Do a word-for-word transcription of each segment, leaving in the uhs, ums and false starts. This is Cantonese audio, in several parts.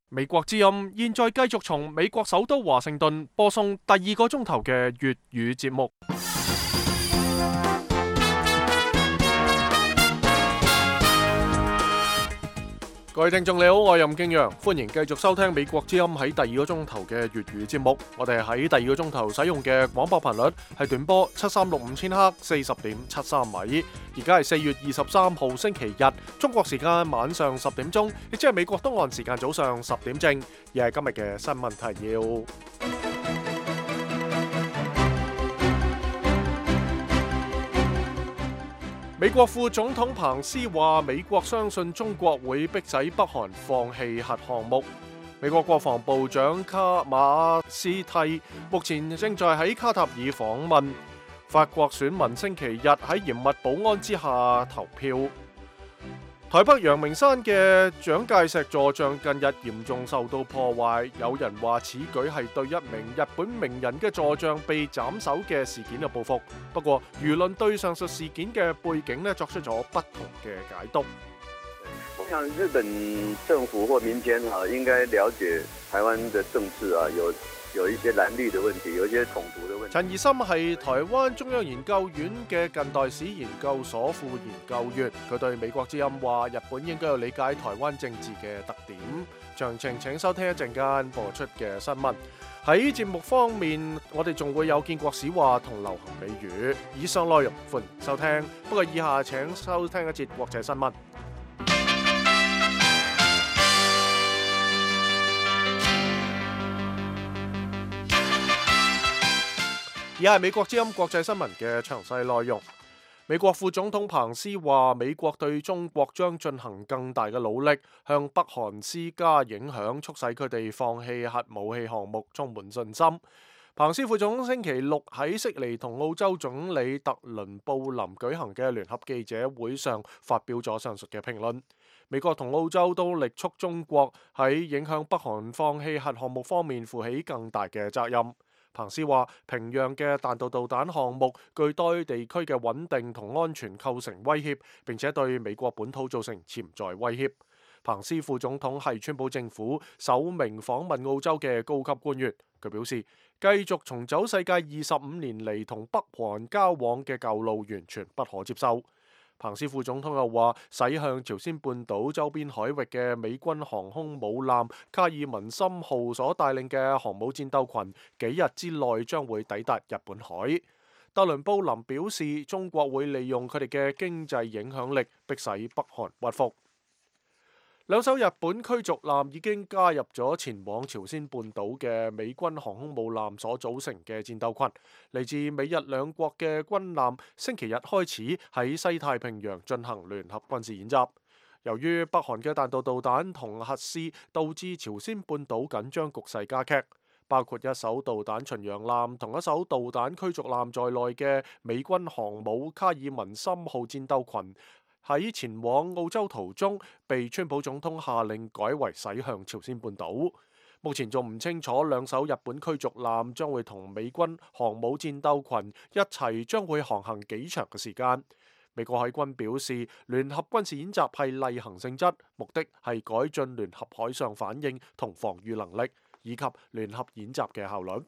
美國之音現在繼續從美國首都華盛頓播送第二個鐘頭嘅粵語節目。各位聽眾你好，我係任敬陽，歡迎繼續收聽美國之音喺第二個鐘頭嘅粵語節目。我哋喺第二個鐘頭使用嘅廣播頻率係短波七三六五千赫，四十點七三米。而家係四月二十三號星期日，中國時間晚上十點鐘，亦即係美國東岸時間早上十點正。而係今日嘅新聞提要。美國副總統彭斯話，美國相信中國會迫使北韓放棄核項目。美國國防部長卡馬斯蒂目前正在喺卡塔爾訪問。法國選民星期日喺嚴密保安之下投票。台北陽明山嘅蔣介石座像近日嚴重受到破壞，有人話此舉係對一名日本名人嘅座像被斬首嘅事件嘅報復。不過輿論對上述事件嘅背景呢作出咗不同嘅解讀。我想日本政府或民間啊，應該了解台灣嘅政治啊，有有一些藍綠的問題，有一些統獨的問題。陳怡森係台灣中央研究院嘅近代史研究所副研究員，佢對美國之音話：日本應該要理解台灣政治嘅特點。詳情請收聽一陣間播出嘅新聞。喺節目方面，我哋仲會有建國史話同流行美語。以上內容歡迎收聽，不過以下請收聽一節國際新聞。以下係美國之音國際新聞嘅詳細內容。美國副總統彭斯話，美國對中國將進行更大嘅努力，向北韓施加影響，促使佢哋放棄核武器項目，充滿信心。彭斯副總統星期六喺悉尼同澳洲總理特倫布林舉行嘅聯合記者會上發表咗上述嘅評論。美國同澳洲都力促中國喺影響北韓放棄核項目方面負起更大嘅責任。彭斯話，平壤嘅彈道導彈項目具對地區嘅穩定同安全構成威脅，並且對美國本土造成潛在威脅。彭斯副總統係川普政府首名訪問澳洲嘅高級官員，佢表示，繼續重走世界二十五年嚟同北韓交往嘅舊路完全不可接受。彭斯副總統又話，駛向朝鮮半島周邊海域嘅美軍航空母艦卡爾文森號所帶領嘅航母戰鬥群，幾日之內將會抵達日本海。特倫布林表示，中國會利用佢哋嘅經濟影響力，迫使北韓屈服。兩艘日本驅逐艦已經加入咗前往朝鮮半島嘅美軍航空母艦所組成嘅戰鬥群。嚟自美日兩國嘅軍艦星期日開始喺西太平洋進行聯合軍事演習。由於北韓嘅彈道導彈同核試，導致朝鮮半島緊張局勢加劇。包括一艘導彈巡洋艦同一艘導彈驅逐艦在內嘅美軍航母卡爾文森號戰鬥群，喺前往澳洲途中，被川普總統下令改為駛向朝鮮半島。目前仲唔清楚兩艘日本驅逐艦將會同美軍航母戰鬥群一齊將會航行幾長嘅時間。美國海軍表示，聯合軍事演習係例行性質，目的係改進聯合海上反應同防禦能力，以及聯合演習嘅效率。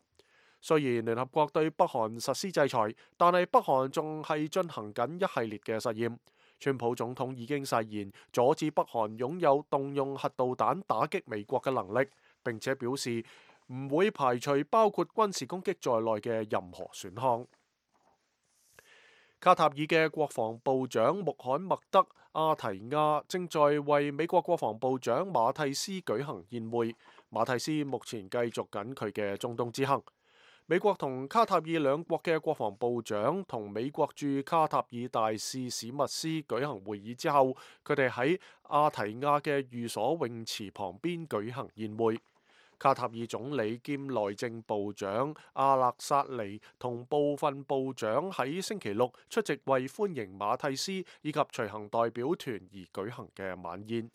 雖然聯合國對北韓實施制裁，但係北韓仲係進行緊一系列嘅實驗。川普總統已經誓言阻止北韓擁有動用核導彈打擊美國嘅能力，並且表示唔會排除包括軍事攻擊在內嘅任何選項。卡塔爾嘅國防部長穆罕默德阿提亞正在為美國國防部長馬蒂斯舉行宴會。馬蒂斯目前繼續緊佢嘅中東之行。美國同卡塔爾兩國嘅國防部長同美國駐卡塔爾大使史密斯舉行會議之後，佢哋喺阿提亞嘅寓所泳池旁邊舉行宴會。卡塔爾總理兼內政部長阿勒薩尼同部分部長喺星期六出席為歡迎馬蒂斯以及隨行代表團而舉行嘅晚宴。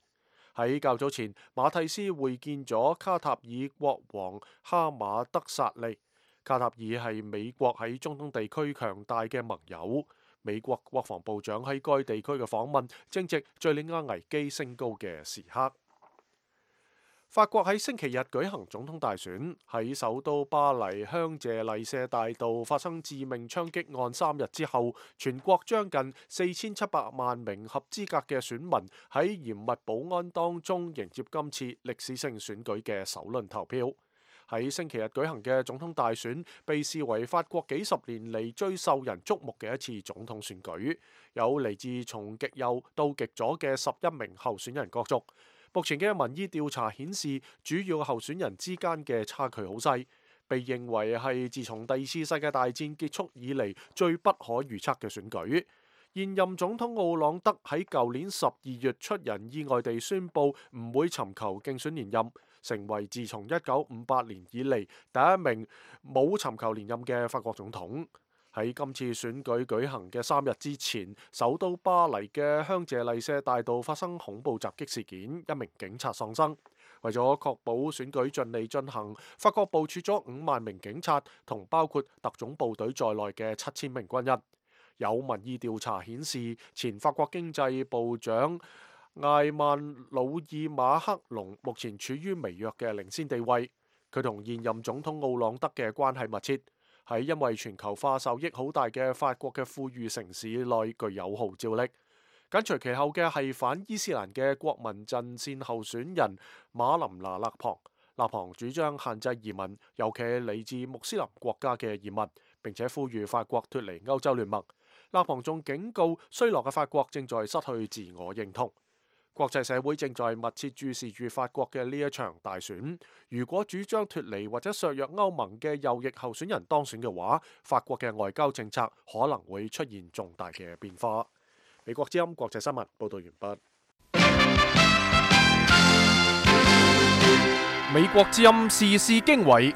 喺較早前，馬蒂斯會見咗卡塔爾國王哈馬德薩利。卡塔爾係美國喺中東地區強大嘅盟友。美國國防部長喺該地區嘅訪問，正值敘利亞危機升高嘅時刻。法國喺星期日舉行總統大選，喺首都巴黎香榭麗舍大道發生致命槍擊案三日之後，全國將近四千七百萬名合資格嘅選民喺嚴密保安當中迎接今次歷史性選舉嘅首輪投票。喺星期日舉行嘅總統大選被視為法國幾十年嚟最受人矚目嘅一次總統選舉，有嚟自從極右到極左嘅十一名候選人角逐。目前嘅民意調查顯示，主要候選人之間嘅差距好細，被認為係自從第二次世界大戰結束以嚟最不可預測嘅選舉。現任總統奧朗德喺舊年十二月出人意外地宣布唔會尋求競選連任，成為自從一九五八年以嚟第一名冇尋求連任嘅法國總統。喺今次選舉舉行嘅三日之前，首都巴黎嘅香榭麗舍大道發生恐怖襲擊事件，一名警察喪生。為咗確保選舉順利進行，法國部署咗五萬名警察同包括特種部隊在內嘅七千名軍人。有民意調查顯示，前法國經濟部長艾曼努爾馬克龍目前處於微弱嘅領先地位。佢同現任總統奧朗德嘅關係密切。喺因為全球化受益好大嘅法國嘅富裕城市內具有號召力。緊隨其後嘅係反伊斯蘭嘅國民陣線候選人馬林拿勒龐。勒龐主張限制移民，尤其係嚟自穆斯林國家嘅移民，並且呼籲法國脫離歐洲聯盟。勒龐仲警告，衰落嘅法國正在失去自我認同。國際社會正在密切注視住法國嘅呢一場大選。如果主張脫離或者削弱歐盟嘅右翼候選人當選嘅話，法國嘅外交政策可能會出現重大嘅變化。美國之音國際新聞報道完畢。美國之音時事經緯。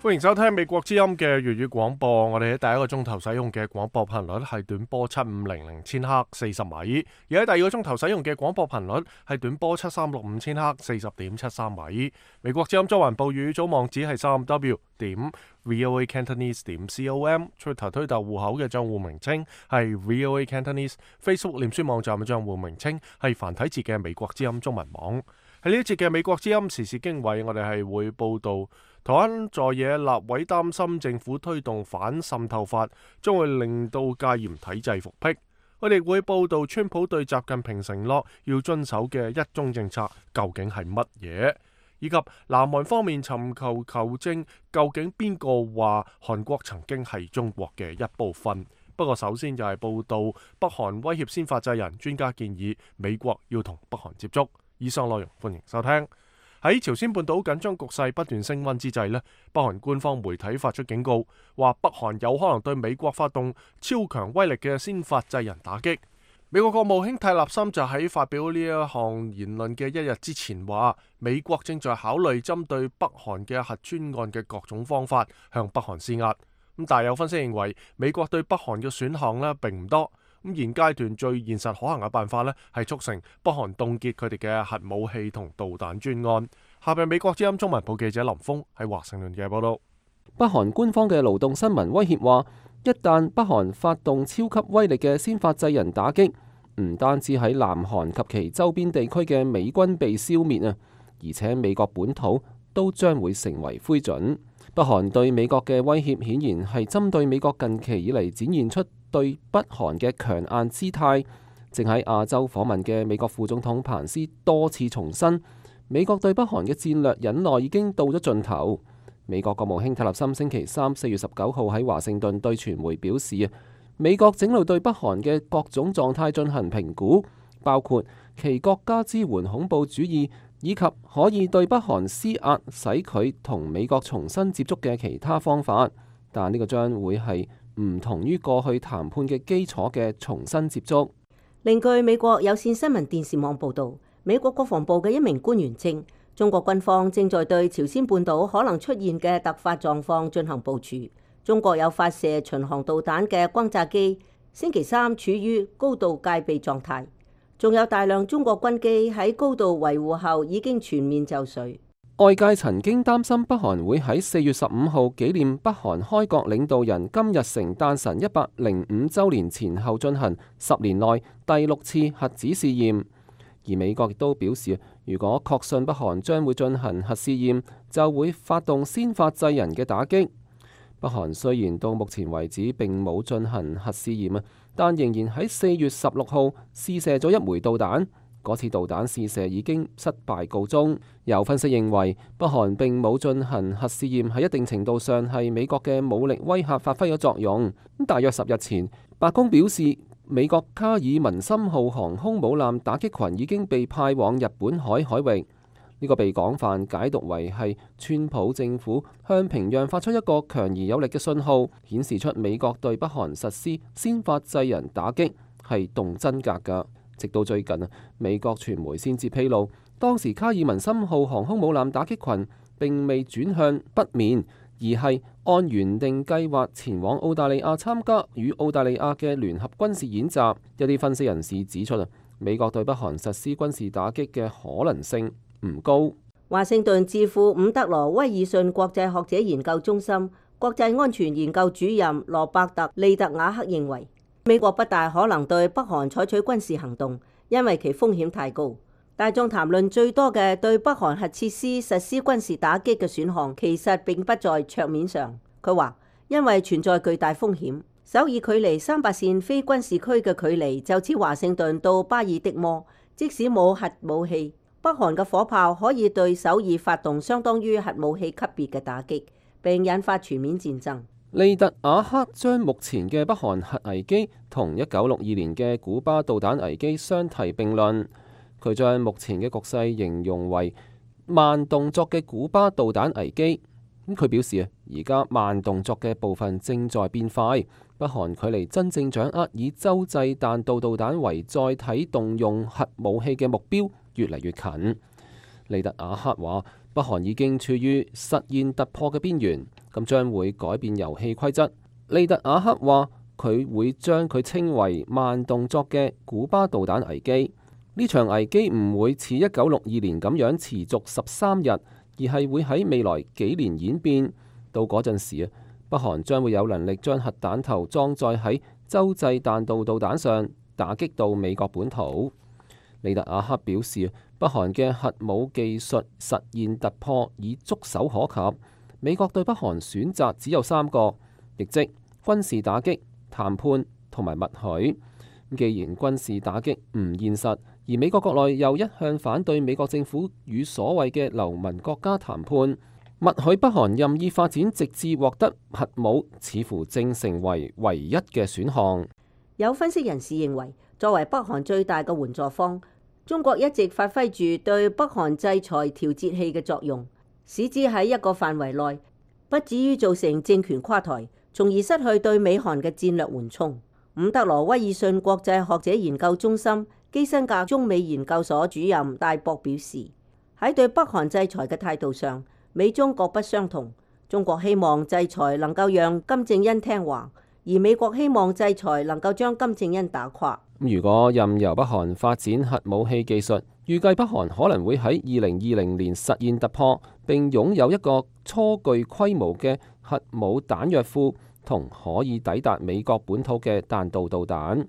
歡迎收聽美國之音嘅粵語廣播。我哋喺第一個鐘頭使用嘅廣播頻率係短波七五零零千赫四十米，而喺第二個鐘頭使用嘅廣播頻率係短波七三六五千赫四十點七三米。美國之音中文部語組網址係三 w 點 voa cantonese 點 com，Twitter 推特戶口嘅賬戶名稱係 voa cantonese，Facebook 臉書網站嘅賬戶名稱係繁體字嘅美國之音中文網。喺呢一節嘅美國之音時事經緯，我哋係會報道台灣在野立委擔心政府推動反滲透法將會令到戒嚴體制復辟。我哋會報道川普對習近平承諾要遵守嘅一中政策究竟係乜嘢，以及南韓方面尋求求證究竟邊個話韓國曾經係中國嘅一部分。不過首先就係報道北韓威脅先發制人，專家建議美國要同北韓接觸。以上內容歡迎收聽。喺朝鮮半島緊張局勢不斷升溫之際呢，北韓官方媒體發出警告，話北韓有可能對美國發動超強威力嘅先發制人打擊。美國國務卿泰勒森就喺發表呢一項言論嘅一日之前話，美國正在考慮針對北韓嘅核專案嘅各種方法向北韓施壓。咁但有分析認為，美國對北韓嘅選項呢並唔多。咁現階段最現實可行嘅辦法呢，係促成北韓凍結佢哋嘅核武器同導彈專案。下邊美國之音中文部記者林峰喺華盛頓嘅報道。北韓官方嘅勞動新聞威脅話，一旦北韓發動超級威力嘅先發制人打擊，唔單止喺南韓及其周邊地區嘅美軍被消滅啊，而且美國本土都將會成為灰燼。北韓對美國嘅威脅顯然係針對美國近期以嚟展現出對北韓嘅強硬姿態。正喺亞洲訪問嘅美國副總統彭斯多次重申，美國對北韓嘅戰略忍耐已經到咗盡頭。美國國務卿泰勒森星期三四月十九號喺華盛頓對傳媒表示，美國正路對北韓嘅各種狀態進行評估，包括其國家支援恐怖主義，以及可以對北韓施壓使佢同美國重新接觸嘅其他方法。但呢個將會係唔同於過去談判嘅基礎嘅重新接觸。另據美國有線新聞電視網報導，美國國防部嘅一名官員稱，中國軍方正在對朝鮮半島可能出現嘅突發狀況進行部署。中國有發射巡航導彈嘅轟炸機，星期三處於高度戒備狀態。仲有大量中國軍機喺高度維護後已經全面就緒。外界曾經擔心北韓會喺四月十五號紀念北韓開國領導人金日成誕辰一百零五週年前後進行十年內第六次核子試驗，而美國亦都表示，如果確信北韓將會進行核試驗，就會發動先發制人嘅打擊。北韓雖然到目前為止並冇進行核試驗啊，但仍然喺四月十六號試射咗一枚導彈。嗰次導彈試射已經失敗告終。有分析認為，北韓並冇進行核試驗喺一定程度上係美國嘅武力威嚇發揮咗作用。咁大約十日前，白宮表示美國卡爾文森號航空母艦打擊群已經被派往日本海海域。呢個被廣泛解讀為係川普政府向平壤發出一個強而有力嘅信號，顯示出美國對北韓實施先發制人打擊係動真格㗎。直到最近啊，美國傳媒先至披露，當時卡爾文森號航空母艦打擊群並未轉向北面，而係按原定計劃前往澳大利亞參加與澳大利亞嘅聯合軍事演習。一啲分析人士指出啊，美國對北韓實施軍事打擊嘅可能性唔高。華盛頓智庫伍德羅威爾遜國際學者研究中心國際安全研究主任羅伯特利特瓦克認為，美國不大可能對北韓採取軍事行動，因為其風險太高。大眾談論最多嘅對北韓核設施實施軍事打擊嘅選項，其實並不在桌面上。佢話，因為存在巨大風險，首爾距離三八線非軍事區嘅距離就似華盛頓到巴爾的摩，即使冇核武器，北韓嘅火炮可以對首爾發動相當於核武器級別嘅打擊，並引發全面戰爭。利特瓦克將目前嘅北韓核危機同一九六二年嘅古巴導彈危機相提並論。佢將目前嘅局勢形容為慢動作嘅古巴導彈危機。咁佢表示啊，而家慢動作嘅部分正在變快，北韓距離真正掌握以洲際彈道導彈為載體動用核武器嘅目標越嚟越近。利特瓦克話，北韓已經處於實現突破嘅邊緣，咁將會改變遊戲規則。利特瓦克話，佢會將佢稱為慢動作嘅古巴導彈危機。呢場危機唔會似一九六二年咁樣持續十三日，而係會喺未來幾年演變。到嗰陣時啊，北韓將會有能力將核彈頭裝載喺洲際彈道導彈上，打擊到美國本土。利特瓦克表示，北韓嘅核武技術實現突破已觸手可及。美國對北韓選擇只有三個，亦即軍事打擊、談判同埋默許。既然軍事打擊唔現實，而美國國內又一向反對美國政府與所謂嘅流氓國家談判，默許北韓任意發展直至獲得核武，似乎正成為唯一嘅選項。有分析人士認為，作為北韓最大嘅援助方，中國一直發揮住對北韓制裁調節器嘅作用，使之喺一個範圍內不至於造成政權垮台，從而失去對美韓嘅戰略緩衝。伍德羅威爾遜國際學者研究中心基辛格中美研究所主任戴博表示，喺對北韓制裁嘅態度上，美中各不相同。中國希望制裁能夠讓金正恩聽話，而美國希望制裁能夠將金正恩打垮。如果任由北韓發展核武器技術，預計北韓可能會喺二零二零年實現突破，並擁有一個初具規模嘅核武彈藥庫，同可以抵達美國本土嘅彈道導彈。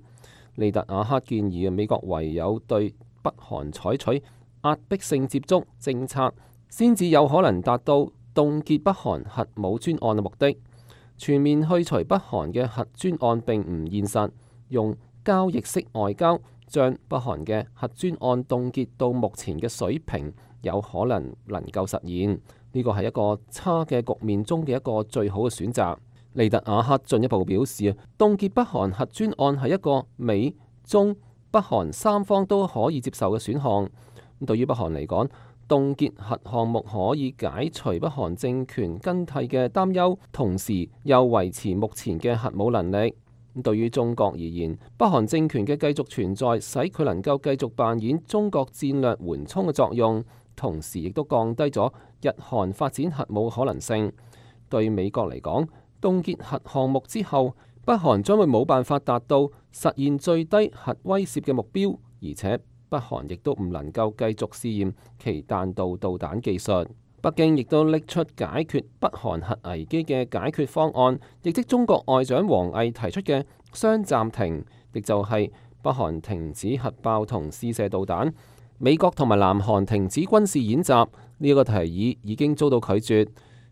利特瓦克建議美國唯有對北韓採取壓迫性接觸政策，先至有可能達到凍結北韓核武專案嘅目的。全面去除北韓嘅核專案並唔現實，用交易式外交將北韓嘅核專案凍結到目前嘅水平，有可能能夠實現。呢個係一個差嘅局面中嘅一個最好嘅選擇。利特瓦克進一步表示啊，凍結北韓核專案係一個美中北韓三方都可以接受嘅選項。咁對於北韓嚟講，凍結核項目可以解除北韓政權更替嘅擔憂，同時又維持目前嘅核武能力。咁對於中國而言，北韓政權嘅繼續存在，使佢能夠繼續扮演中國戰略緩衝嘅作用，同時亦都降低咗日韓發展核武可能性。對美國嚟講，凍結核項目之後，北韓將會冇辦法達到實現最低核威懾嘅目標，而且北韓亦都唔能夠繼續試驗其彈道導彈技術。北京亦都拎出解決北韓核危機嘅解決方案，亦即中國外長王毅提出嘅雙暫停，亦就係北韓停止核爆同試射導彈，美國同埋南韓停止軍事演習。呢一個提議已經遭到拒絕。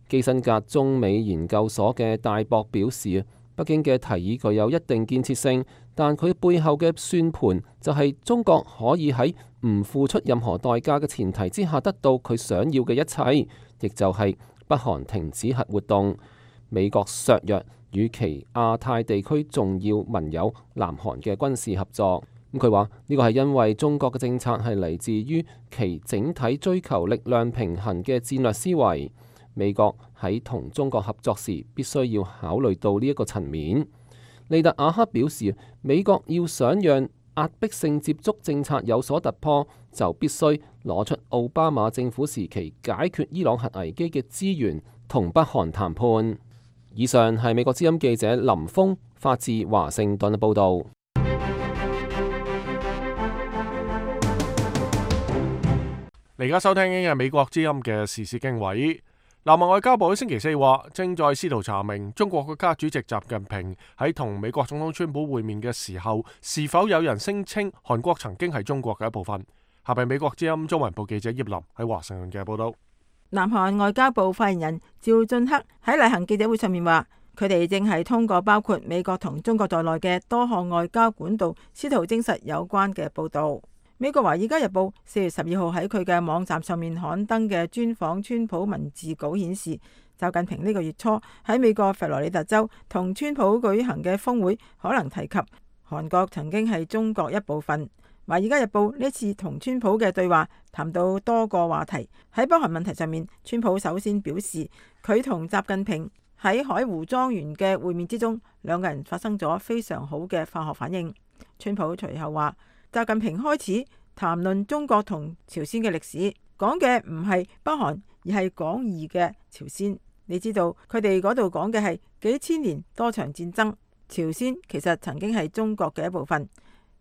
基辛格中美研究所嘅戴博表示，北京嘅提議具有一定建設性，但佢背後嘅算盤就係中國可以喺唔付出任何代價嘅前提之下得到佢想要嘅一切，亦就係北韓停止核活動，美國削弱與其亞太地區重要盟友南韓嘅軍事合作。咁佢話呢個係因為中國嘅政策係嚟自於其整體追求力量平衡嘅戰略思維。美國喺同中國合作時，必須要考慮到呢一個層面。利特瓦克表示，美國要想讓壓迫性接觸政策有所突破，就必須攞出奧巴馬政府時期解決伊朗核危機嘅資源，同北韓談判。以上係美國之音記者林峰發自華盛頓嘅報導。你而家收聽緊嘅美國之音嘅時事經緯。南韓外交部喺星期四話，正在試圖查明中國國家主席習近平喺同美國總統川普會面嘅時候，是否有人聲稱韓國曾經係中國嘅一部分。下邊美國之音中文部記者葉林喺華盛頓嘅報道。南韓外交部發言人趙俊克喺例行記者會上面話，佢哋正係通過包括美國同中國在內嘅多項外交管道，試圖證實有關嘅報道。美國華爾街日報四月十二號喺佢嘅網站上面刊登嘅專訪川普文字稿顯示，習近平呢個月初喺美國佛羅里達州同川普舉行嘅峰會可能提及韓國曾經係中國一部分。華爾街日報呢次同川普嘅對話談到多個話題，喺北韓問題上面，川普首先表示佢同習近平喺海湖莊園嘅會面之中，兩個人發生咗非常好嘅化學反應。川普隨後話，習近平開始談論中國同朝鮮嘅歷史，講嘅唔係北韓，而係廣義嘅朝鮮。你知道佢哋嗰度講嘅係幾千年多場戰爭，朝鮮其實曾經係中國嘅一部分。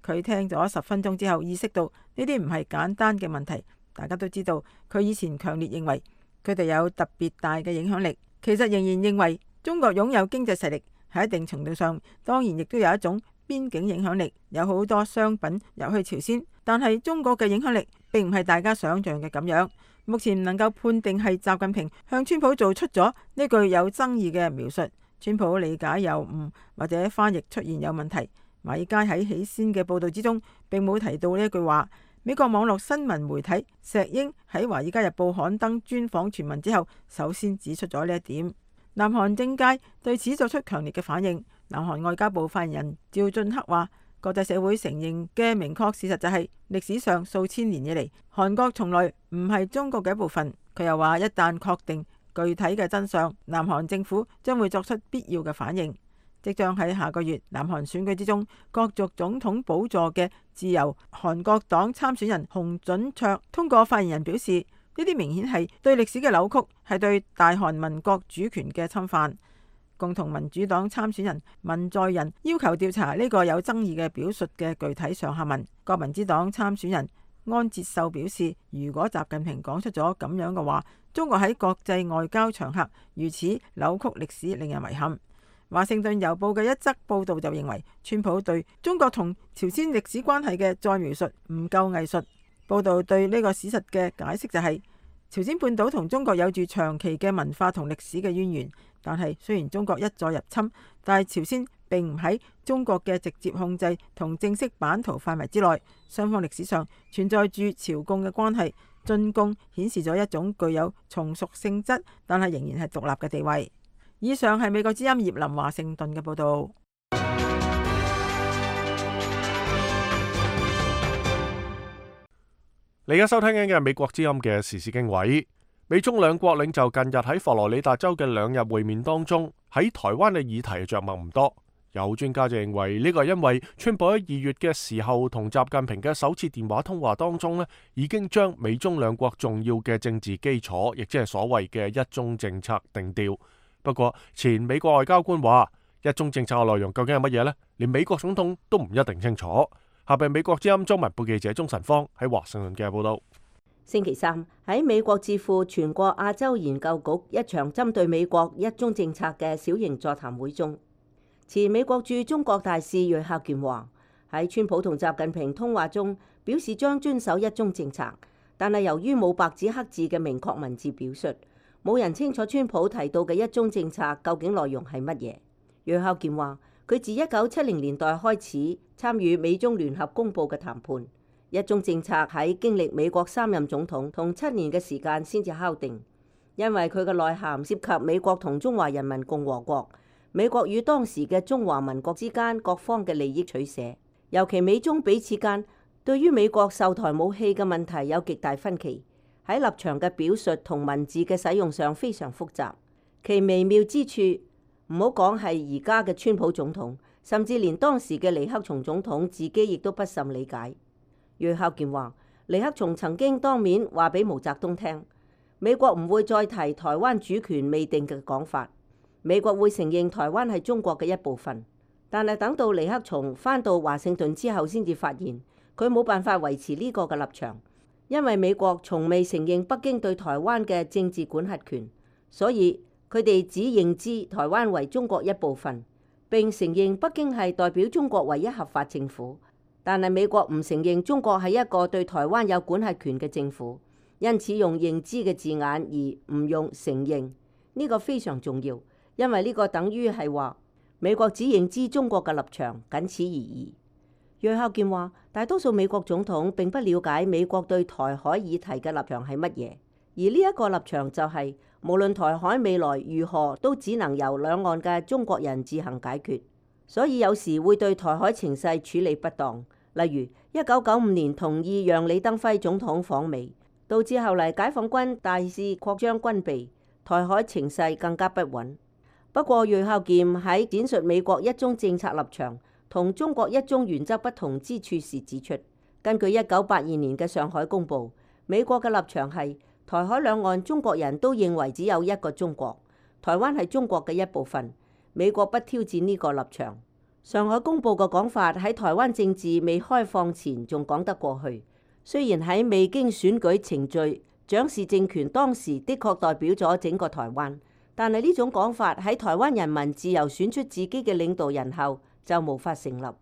佢聽咗十分鐘之後，意識到呢啲唔係簡單嘅問題。大家都知道佢以前強烈認為佢哋有特別大嘅影響力，其實仍然認為中國擁有經濟實力，喺一定程度上當然亦都有一種邊境影響力，有好多商品入去朝鮮，但係中國嘅影響力並唔係大家想象嘅咁樣。目前唔能夠判定係習近平向川普做出咗呢句有爭議嘅描述，川普理解有誤或者翻譯出現有問題。華爾街喺起先嘅報道之中並冇提到呢一句話。美國網絡新聞媒體石英喺華爾街日報刊登專訪全文之後，首先指出咗呢一點。南韓政界對此作出強烈嘅反應。南韓外交部發言人趙俊克話，國際社會承認嘅明確事實就係歷史上數千年以嚟，韓國從來唔係中國嘅一部分。佢又話，一旦確定具體嘅真相，南韓政府將會作出必要嘅反應。即將喺下個月南韓選舉之中角逐總統寶座嘅自由韓國黨參選人洪準卓通過發言人表示，呢啲明顯係對歷史嘅扭曲，係對大韓民國主權嘅侵犯。共同民主黨參選人文在寅要求調查呢個有爭議嘅表述嘅具體上下文。國民之黨參選人安哲秀表示，如果習近平講出咗咁樣嘅話，中國喺國際外交場合如此扭曲歷史，令人遺憾。華盛頓郵報嘅一則報道就認為，川普對中國同朝鮮歷史關係嘅再描述唔夠藝術。報道對呢個事實嘅解釋就係，朝鮮半島同中國有住長期嘅文化同歷史嘅淵源，但係雖然中國一再入侵，但係朝鮮並唔喺中國嘅直接控制同正式版圖範圍之內。雙方歷史上存在住朝貢嘅關係，進貢顯示咗一種具有從屬性質，但係仍然係獨立嘅地位。以上係美國之音葉林華盛頓嘅報道。你而家收聽緊嘅係美國之音嘅時事經緯。美中兩國領袖近日喺佛羅里達州嘅兩日會面當中，喺台灣嘅議題着墨唔多。有專家就認為呢個係因為川普喺二月嘅時候同習近平嘅首次電話通話當中呢，已經將美中兩國重要嘅政治基礎，亦即係所謂嘅一中政策定調。不過前美國外交官話，一中政策嘅內容究竟係乜嘢呢？連美國總統都唔一定清楚。下邊美國之音中文部記者鍾晨芳喺華盛頓嘅報道。星期三喺美國智庫全國亞洲研究局一場針對美國一中政策嘅小型座談會中，前美國駐中國大使楊孝健話喺川普同習近平通話中表示將遵守一中政策，但係由於冇白紙黑字嘅明確文字表述，冇人清楚川普提到嘅一中政策究竟內容係乜嘢。楊孝健話佢自一九七零年代開始參與美中聯合公佈嘅談判。一中政策喺經歷美國三任總統同七年嘅時間先至敲定，因為佢嘅內涵涉及美國同中華人民共和國、美國與當時嘅中華民國之間各方嘅利益取捨，尤其美中彼此間對於美國售台武器嘅問題有極大分歧，喺立場嘅表述同文字嘅使用上非常複雜，其微妙之處唔好講係而家嘅川普總統，甚至連當時嘅尼克松總統自己亦都不甚理解。楊孝健話：尼克松曾經當面話俾毛澤東聽，美國唔會再提台灣主權未定嘅講法，美國會承認台灣係中國嘅一部分。但係等到尼克松返到華盛頓之後，先至發現佢冇辦法維持呢個嘅立場，因為美國從未承認北京對台灣嘅政治管轄權，所以佢哋只認知台灣為中國一部分，並承認北京係代表中國唯一合法政府。但係美國唔承認中國係一個對台灣有管轄權嘅政府，因此用認知嘅字眼而唔用承認，呢個非常重要，因為呢個等於係話美國只認知中國嘅立場，僅此而已。楊孝健話：大多數美國總統並不了解美國對台海議題嘅立場係乜嘢，而呢一個立場就係無論台海未來如何，都只能由兩岸嘅中國人自行解決。所以有時會對台海情勢處理不當，例如一九九五年同意讓李登輝總統訪美，導致後嚟解放軍大肆擴張軍備，台海情勢更加不穩。不過楊孝健喺展述美國一中政策立場同中國一中原則不同之處時指出，根據一九八二年嘅上海公報，美國嘅立場係台海兩岸中國人都認為只有一個中國，台灣係中國嘅一部分。美國不挑戰呢個立場。上海公報嘅講法喺台灣政治未開放前仲講得過去，雖然喺未經選舉程序，蔣氏政權當時的確代表咗整個台灣，但係呢種講法喺台灣人民自由選出自己嘅領導人後就無法成立。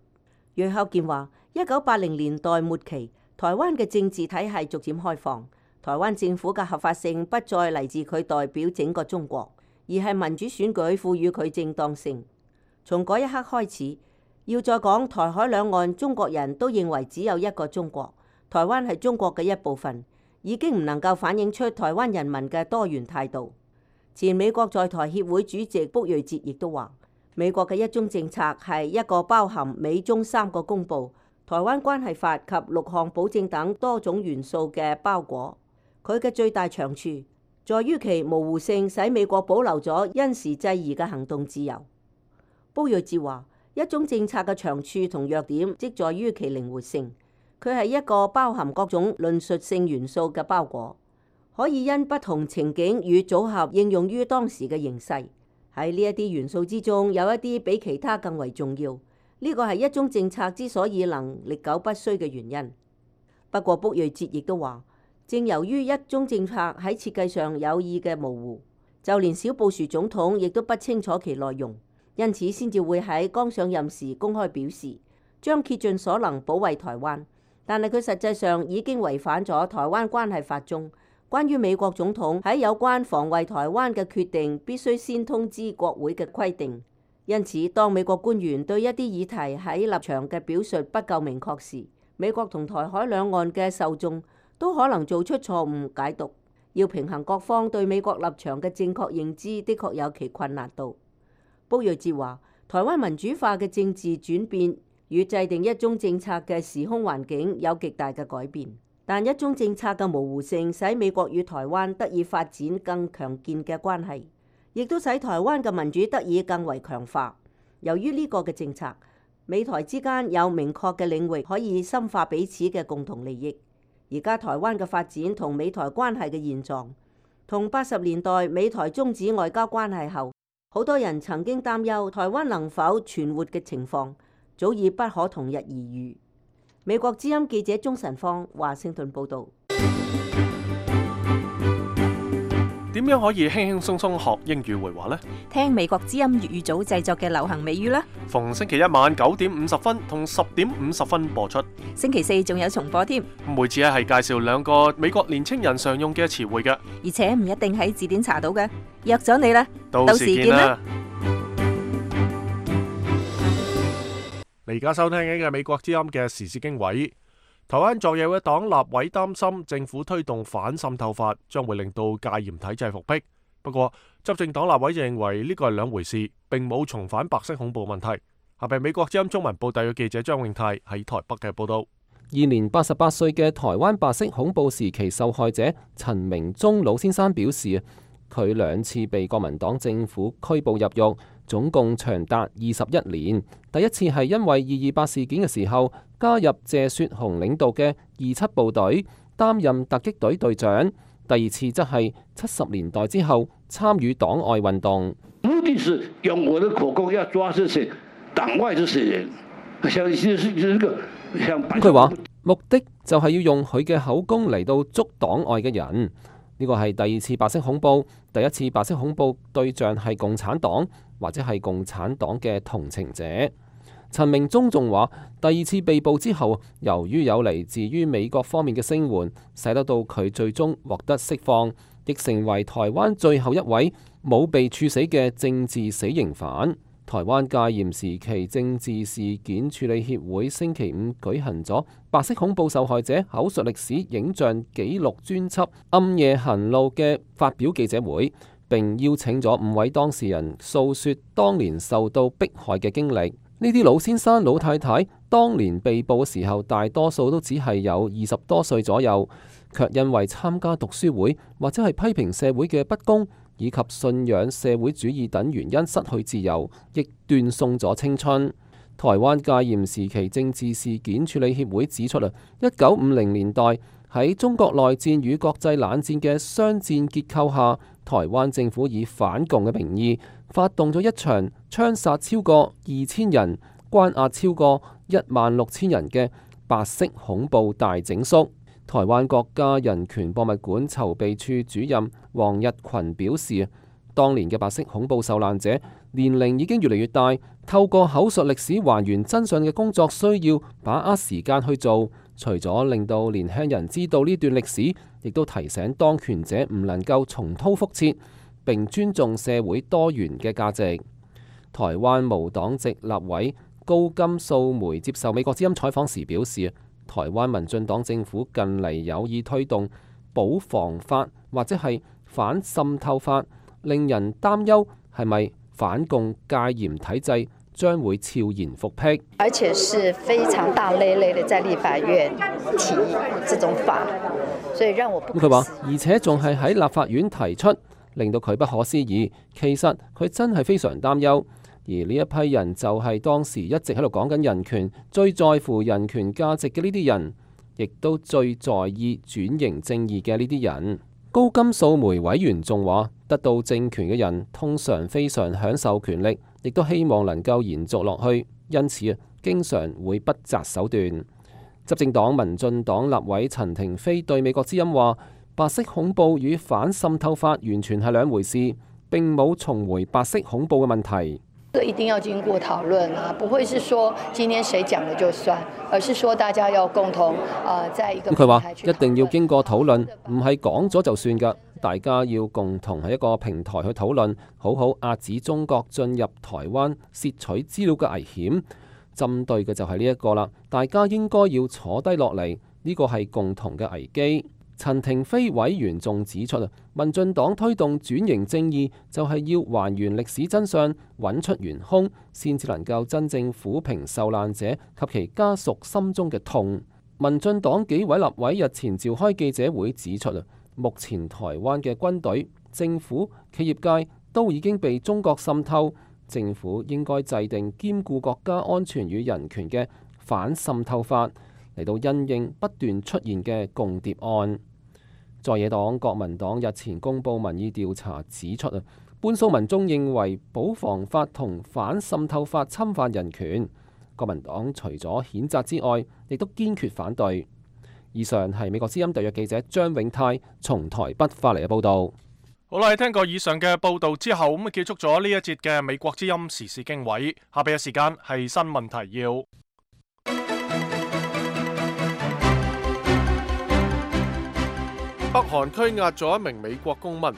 楊孝健話：一九八零年代末期，台灣嘅政治體系逐漸開放，台灣政府嘅合法性不再嚟自佢代表整個中國，而係民主選舉賦予佢正當性。從嗰一刻開始，要再講台海兩岸中國人都認為只有一個中國，台灣係中國嘅一部分，已經唔能夠反映出台灣人民嘅多元態度。前美國在台協會主席卜瑞哲亦都話：美國嘅一中政策係一個包含美中三個公報、台灣關係法及六項保證等多種元素嘅包裹。佢嘅最大長處在於其模糊性，使美國保留咗因時制宜嘅行動自由。卜瑞哲話：一中政策嘅長處同弱點，即在於其靈活性。佢係一個包含各種論述性元素嘅包裹，可以因不同情景與組合應用於當時嘅形勢。喺呢一啲元素之中，有一啲比其他更為重要。呢個係一中政策之所以能歷久不衰嘅原因。不過卜瑞哲亦都話，正由於一中政策喺設計上有意嘅模糊，就連小布殊總統亦都不清楚其內容。因此先至會喺剛上任時公開表示，將竭盡所能保衛台灣，但係佢實際上已經違反咗台灣關係法中關於美國總統喺有關防衛台灣嘅決定必須先通知國會嘅規定。因此，當美國官員對一啲議題喺立場嘅表述不夠明確時，美國同台海兩岸嘅受眾都可能做出錯誤解讀。要平衡各方對美國立場嘅正確認知，的確有其困難度。卜瑞哲話：台灣民主化嘅政治轉變與制定一中政策嘅時空環境有極大嘅改變，但一中政策嘅模糊性使美國與台灣得以發展更強健嘅關係，亦都使台灣嘅民主得以更為強化。由於呢個嘅政策，美台之間有明確嘅領域可以深化彼此嘅共同利益。而家台灣嘅發展同美台關係嘅現狀，同八十年代美台終止外交關係後，好多人曾經擔憂台灣能否存活嘅情況，早已不可同日而語。美國之音記者鍾晨芳華盛頓報導。點樣可以輕輕鬆鬆學英語會話呢？聽美國之音粵語組製作嘅流行美語啦。逢星期一晚九點五十分同十點五十分播出。星期四仲有重播添。每次咧係介紹兩個美國年青人常用嘅詞彙嘅，而且唔一定喺字典查到嘅。約咗你啦，到時見啦。你而家收聽緊嘅美國之音嘅時事經緯。台灣在野嘅黨立委擔心政府推動反滲透法將會令到戒嚴體制復辟。不過執政黨立委就認為呢個係兩回事，並冇重返白色恐怖問題。下邊美國之音中文部特約記者張永泰喺台北嘅報道。現年八十八歲嘅台灣白色恐怖時期受害者陳明忠老先生表示，佢兩次被國民黨政府拘捕入獄，總共長達二十一年。第一次係因為二二八事件嘅時候加入謝雪紅領導嘅二七部隊，擔任突擊隊隊長。第二次則係七十年代之後參與黨外運動。目的是用我的口供要抓這些黨外這些人，像是這個像。佢話目的就係要用佢嘅口供嚟到捉黨外嘅人。呢個係第二次白色恐怖，第一次白色恐怖對象係共產黨或者係共產黨嘅同情者。陳明忠仲話，第二次被捕之後，由於有嚟自於美國方面嘅聲援，使得到佢最終獲得釋放，亦成為台灣最後一位冇被處死嘅政治死刑犯。台灣戒嚴時期政治事件處理協會星期五舉行咗白色恐怖受害者口述歷史影像紀錄專輯《暗夜行路》嘅發表記者會，並邀請咗五位當事人訴說當年受到迫害嘅經歷。呢啲老先生老太太當年被捕嘅時候，大多數都只係有二十多歲左右，卻因為參加讀書會或者係批評社會嘅不公，以及信仰社會主義等原因失去自由，亦斷送咗青春。台灣戒嚴時期政治事件處理協會指出啦，一九五零年代喺中國內戰與國際冷戰嘅雙戰結構下，台灣政府以反共嘅名義發動咗一場槍殺超過二千人、關押超過一萬六千人嘅白色恐怖大整肅。台灣國家人權博物館籌備處主任黃日群表示，當年嘅白色恐怖受難者年齡已經越嚟越大，透過口述歷史還原真相嘅工作需要把握時間去做，除咗令到年輕人知道呢段歷史，亦都提醒當權者唔能夠重蹈覆轍，並尊重社會多元嘅價值。台灣無黨籍立委高金素梅接受美國之音採訪時表示，台灣民進黨政府近嚟有意推動保防法或者係反滲透法，令人擔憂係咪反共戒嚴體制將會悄然復辟，而且是非常大累累的在立法院提這種法，所以讓我不。佢話，而且仲係喺立法院提出，令到佢不可思議。其實佢真係非常擔憂。而呢一批人就係當時一直喺度講緊人權、最在乎人權價值嘅呢啲人，亦都最在意轉型正義嘅呢啲人。高金素梅委員仲話，得到政權嘅人通常非常享受權力，亦都希望能夠延續落去，因此啊，經常會不擇手段。執政黨民進黨立委陳亭妃對美國之音話，白色恐怖與反滲透法完全係兩回事，並冇重回白色恐怖嘅問題。一定要經過討論啊，不會是說今天誰講了就算，而是說大家要共同啊，在一個平台去討論。佢話一定要經過討論，唔係講咗就算噶，大家要共同喺一個平台去討論，好好遏止中國進入台灣竊取資料嘅危險。針對嘅就係呢一個啦，大家應該要坐低落嚟，呢個係共同嘅危機。陳亭妃委員仲指出啊，民進黨推動轉型正義就係要還原歷史真相，揾出元兇，先至能夠真正撫平受難者及其家屬心中嘅痛。民進黨幾位立委日前召開記者會指出啊，目前台灣嘅軍隊、政府、企業界都已經被中國滲透，政府應該制定兼顧國家安全與人權嘅反滲透法，嚟到因應不斷出現嘅共諜案。在野黨國民黨日前公布民意調查指出啊，半數民眾認為保防法同反滲透法侵犯人權。國民黨除咗譴責之外，亦都堅決反對。以上係美國之音特約記者張永泰從台北發嚟嘅報導。好啦，聽過以上嘅報道之後，咁結束咗呢一節嘅美國之音時事經緯。下邊嘅時間係新聞提要。北韓拘押咗一名美國公民。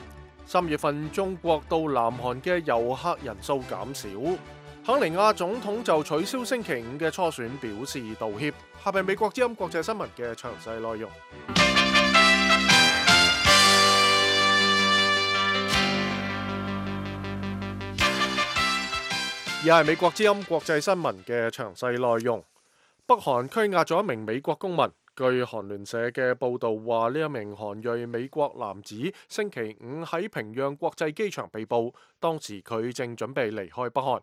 三月份中國到南韓嘅遊客人數減少。肯尼亞總統就取消星期五嘅初選表示道歉。下邊美國之音國際新聞嘅詳細內容。而係美國之音國際新聞嘅詳細內容。北韓拘押咗一名美國公民。據韓聯社嘅報導話，呢一名韓裔美國男子星期五喺平壤國際機場被捕，當時佢正準備離開北韓。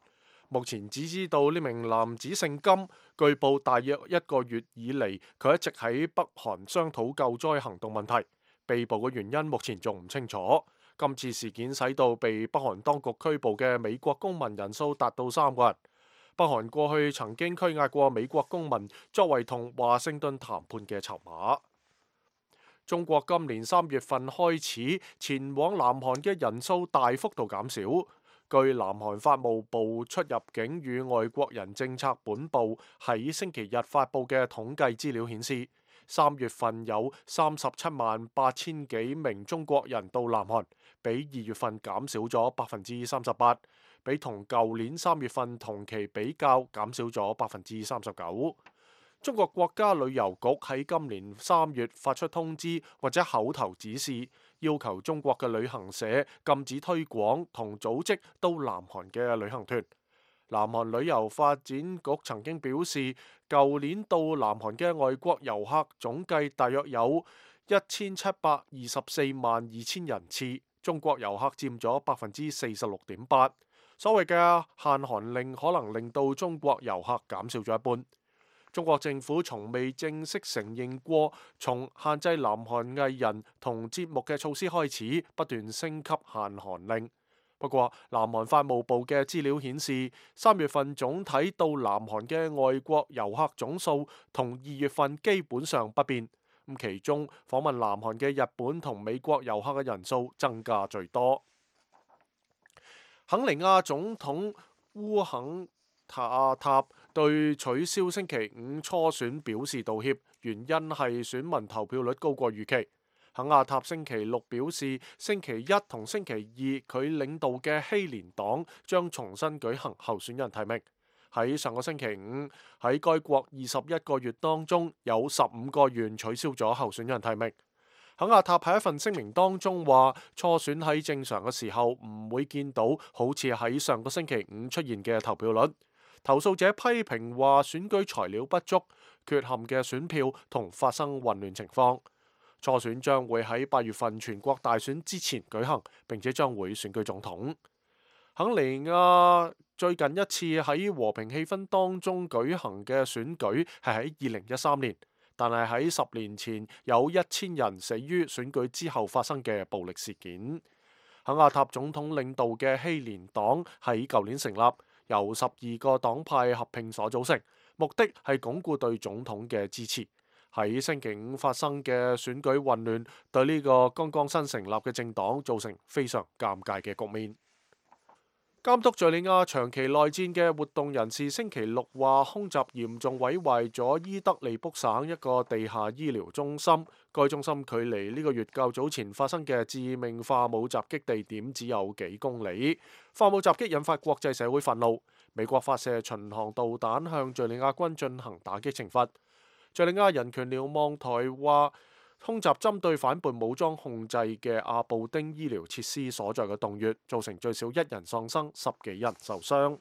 目前只知道呢名男子姓金，據報大約一個月以嚟，佢一直喺北韓商討救災行動問題。被捕嘅原因目前仲唔清楚。今次事件使到被北韓當局拘捕嘅美國公民人數達到三個人。北韓過去曾經拘押過美國公民，作為同華盛頓談判嘅籌碼。中國今年三月份開始前往南韓嘅人數大幅度減少。據南韓法務部出入境與外國人政策本部喺星期日發布嘅統計資料顯示，三月份有三十七萬八千幾名中國人到南韓，比二月份減少咗百分之三十八。比同舊年三月份同期比較減少咗百分之三十九。中國國家旅遊局喺今年三月發出通知或者口頭指示，要求中國嘅旅行社禁止推廣同組織到南韓嘅旅行團。南韓旅遊發展局曾經表示，舊年到南韓嘅外國遊客總計大約有一千七百二十四萬二千人次，中國遊客佔咗百分之四十六點八。所謂嘅限韓令可能令到中國遊客減少咗一半。中國政府從未正式承認過，從限制南韓藝人同節目嘅措施開始，不斷升級限韓令。不過，南韓法務部嘅資料顯示，三月份總體到南韓嘅外國遊客總數同二月份基本上不變。咁其中訪問南韓嘅日本同美國遊客嘅人數增加最多。肯尼亞總統烏肯塔塔對取消星期五初選表示道歉，原因係選民投票率高過預期。肯亞塔星期六表示，星期一同星期二佢領導嘅希連黨將重新舉行候選人提名。喺上個星期五，喺該國二十一個月當中，有十五個縣取消咗候選人提名。肯亞塔喺一份聲明當中話，初選喺正常嘅時候唔會見到好似喺上個星期五出現嘅投票率。投訴者批評話選舉材料不足、缺陷嘅選票同發生混亂情況。初選將會喺八月份全國大選之前舉行，並且將會選舉總統。肯尼亞最近一次喺和平氣氛當中舉行嘅選舉係喺二零一三年。但係喺十年前有一千人死於選舉之後發生嘅暴力事件。肯亞塔總統領導嘅希連黨喺舊年成立，由十二個黨派合併所組成，目的係鞏固對總統嘅支持。喺星期五發生嘅選舉混亂，對呢個剛剛新成立嘅政黨造成非常尷尬嘅局面。監督敘利亞長期內戰嘅活動人士星期六話，空襲嚴重毀壞咗伊德利卜省一個地下醫療中心。該中心距離呢個月較早前發生嘅致命化武襲擊地點只有幾公里。化武襲擊引發國際社會憤怒，美國發射巡航導彈向敘利亞軍進行打擊懲罰。敘利亞人權瞭望台話，空襲針對反叛武裝控制嘅阿布丁醫療設施所在嘅洞穴，造成最少一人喪生，十幾人受傷。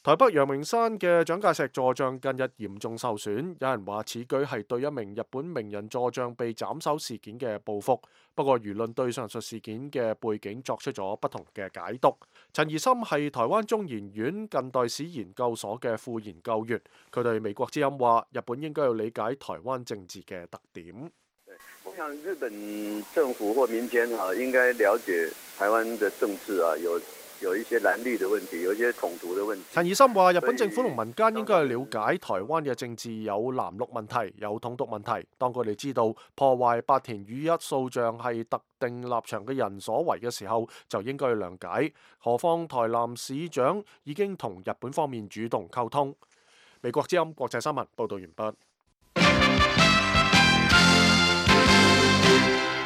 台北陽明山嘅蔣介石座像近日嚴重受損，有人話此舉係對一名日本名人座像被斬首事件嘅報復。不過輿論對上述事件嘅背景作出咗不同嘅解讀。陳怡森係台灣中研院近代史研究所嘅副研究員，佢對美國之音話：日本應該要理解台灣政治嘅特點。我想日本政府或民間啊，應該了解台灣的政治啊，有有一些藍綠的問題，有一些統獨的問題。陳怡森話：日本政府同民間應該去了解台灣嘅政治有藍綠問題，有統獨問題。當佢哋知道破壞八田與一訴訟係特定立場嘅人所為嘅時候，就應該去諒解。何況台南市長已經同日本方面主動溝通。美國之音國際新聞報道完畢。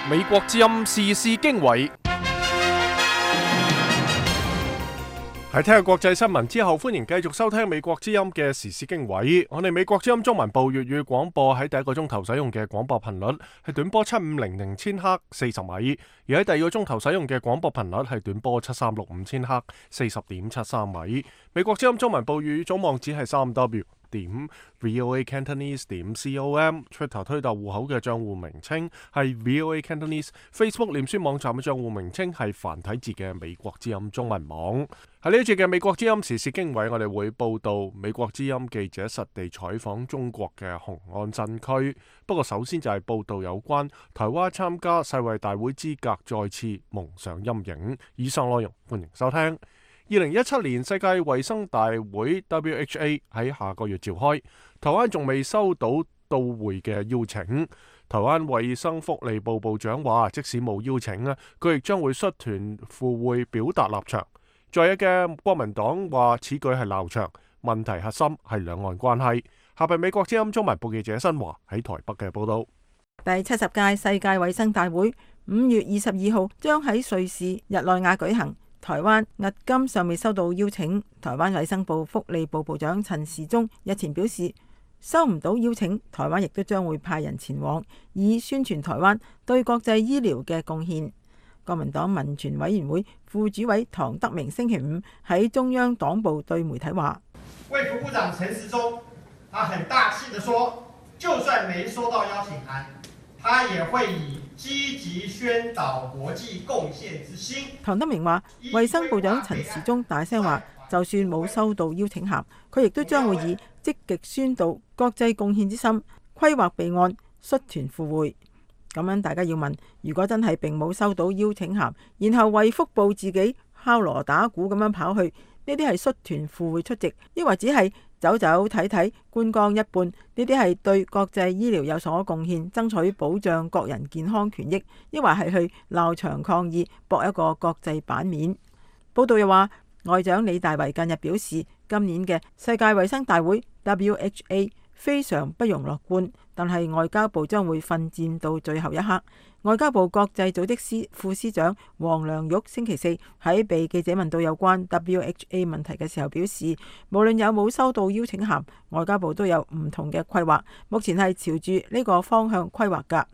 美國之音時事經緯。喺聽下國際新聞之後，歡迎繼續收聽美國之音嘅時事經緯。我哋美國之音中文部粵語廣播喺第一個鐘頭使用嘅廣播頻率係短波七五零零千赫四十米，而喺第二個鐘頭使用嘅廣播頻率係短波七三六五千赫四十點七三米。美國之音中文部粵語總網址係三 W 點 VOA Cantonese 點 com，Twitter 推特戶口嘅賬戶名稱係 VOA Cantonese， Facebook 臉書網站嘅賬戶名稱係繁體字嘅美國之音中文網。喺呢一節嘅美國之音時事經緯，我哋會報道美國之音記者實地採訪中國嘅雄安新區。不過首先就係報道有關台灣參加世衛大會資格再次蒙上陰影。以上內容歡迎收聽。二零一七年世界衛生大會 W H A 喺下個月召開，台灣仲未收到到會嘅邀請。台灣衛生福利部部長話，即使冇邀請咧，佢亦將會率團赴會表達立場。在野嘅國民黨話此舉係鬧場，問題核心係兩岸關係。下邊美國之音中文部記者新華喺台北嘅報道。第七十屆世界衛生大會五月二十二號將喺瑞士日內瓦舉行。台灣迄今尚未收到邀請。台灣衛生部福利部部長陳時中日前表示，收唔到邀請，台灣亦都將會派人前往，以宣傳台灣對國際醫療嘅貢獻。國民黨民權委員會副主委唐德明星期五喺中央黨部對媒體話：衛福部長陳時中，他很大氣地說，就算沒收到邀請函，他也會以積極宣導國際貢獻之心。唐德明話，衛生部長陳時中大聲話，就算冇收到邀請函，佢亦都將會以積極宣導國際貢獻之心，規劃備案，率團赴會。咁樣大家要問，如果真係並冇收到邀請函，然後衛福部自己敲鑼打鼓咁樣跑去，呢啲係率團赴會出席，抑或只係走走睇睇觀光一半？呢啲係對國際醫療有所貢獻，爭取保障國人健康權益，抑或係去鬧場抗議，博一個國際版面？報道又話，外長李大維近日表示，今年嘅世界衛生大會 W H A 非常不容樂觀，但係外交部將會奮戰到最後一刻。外交部國際組織司副司長黃良玉星期四喺被記者問到有關 W H A 問題嘅時候表示，無論有冇收到邀請函，外交部都有唔同嘅規劃，目前係朝住呢個方向規劃㗎。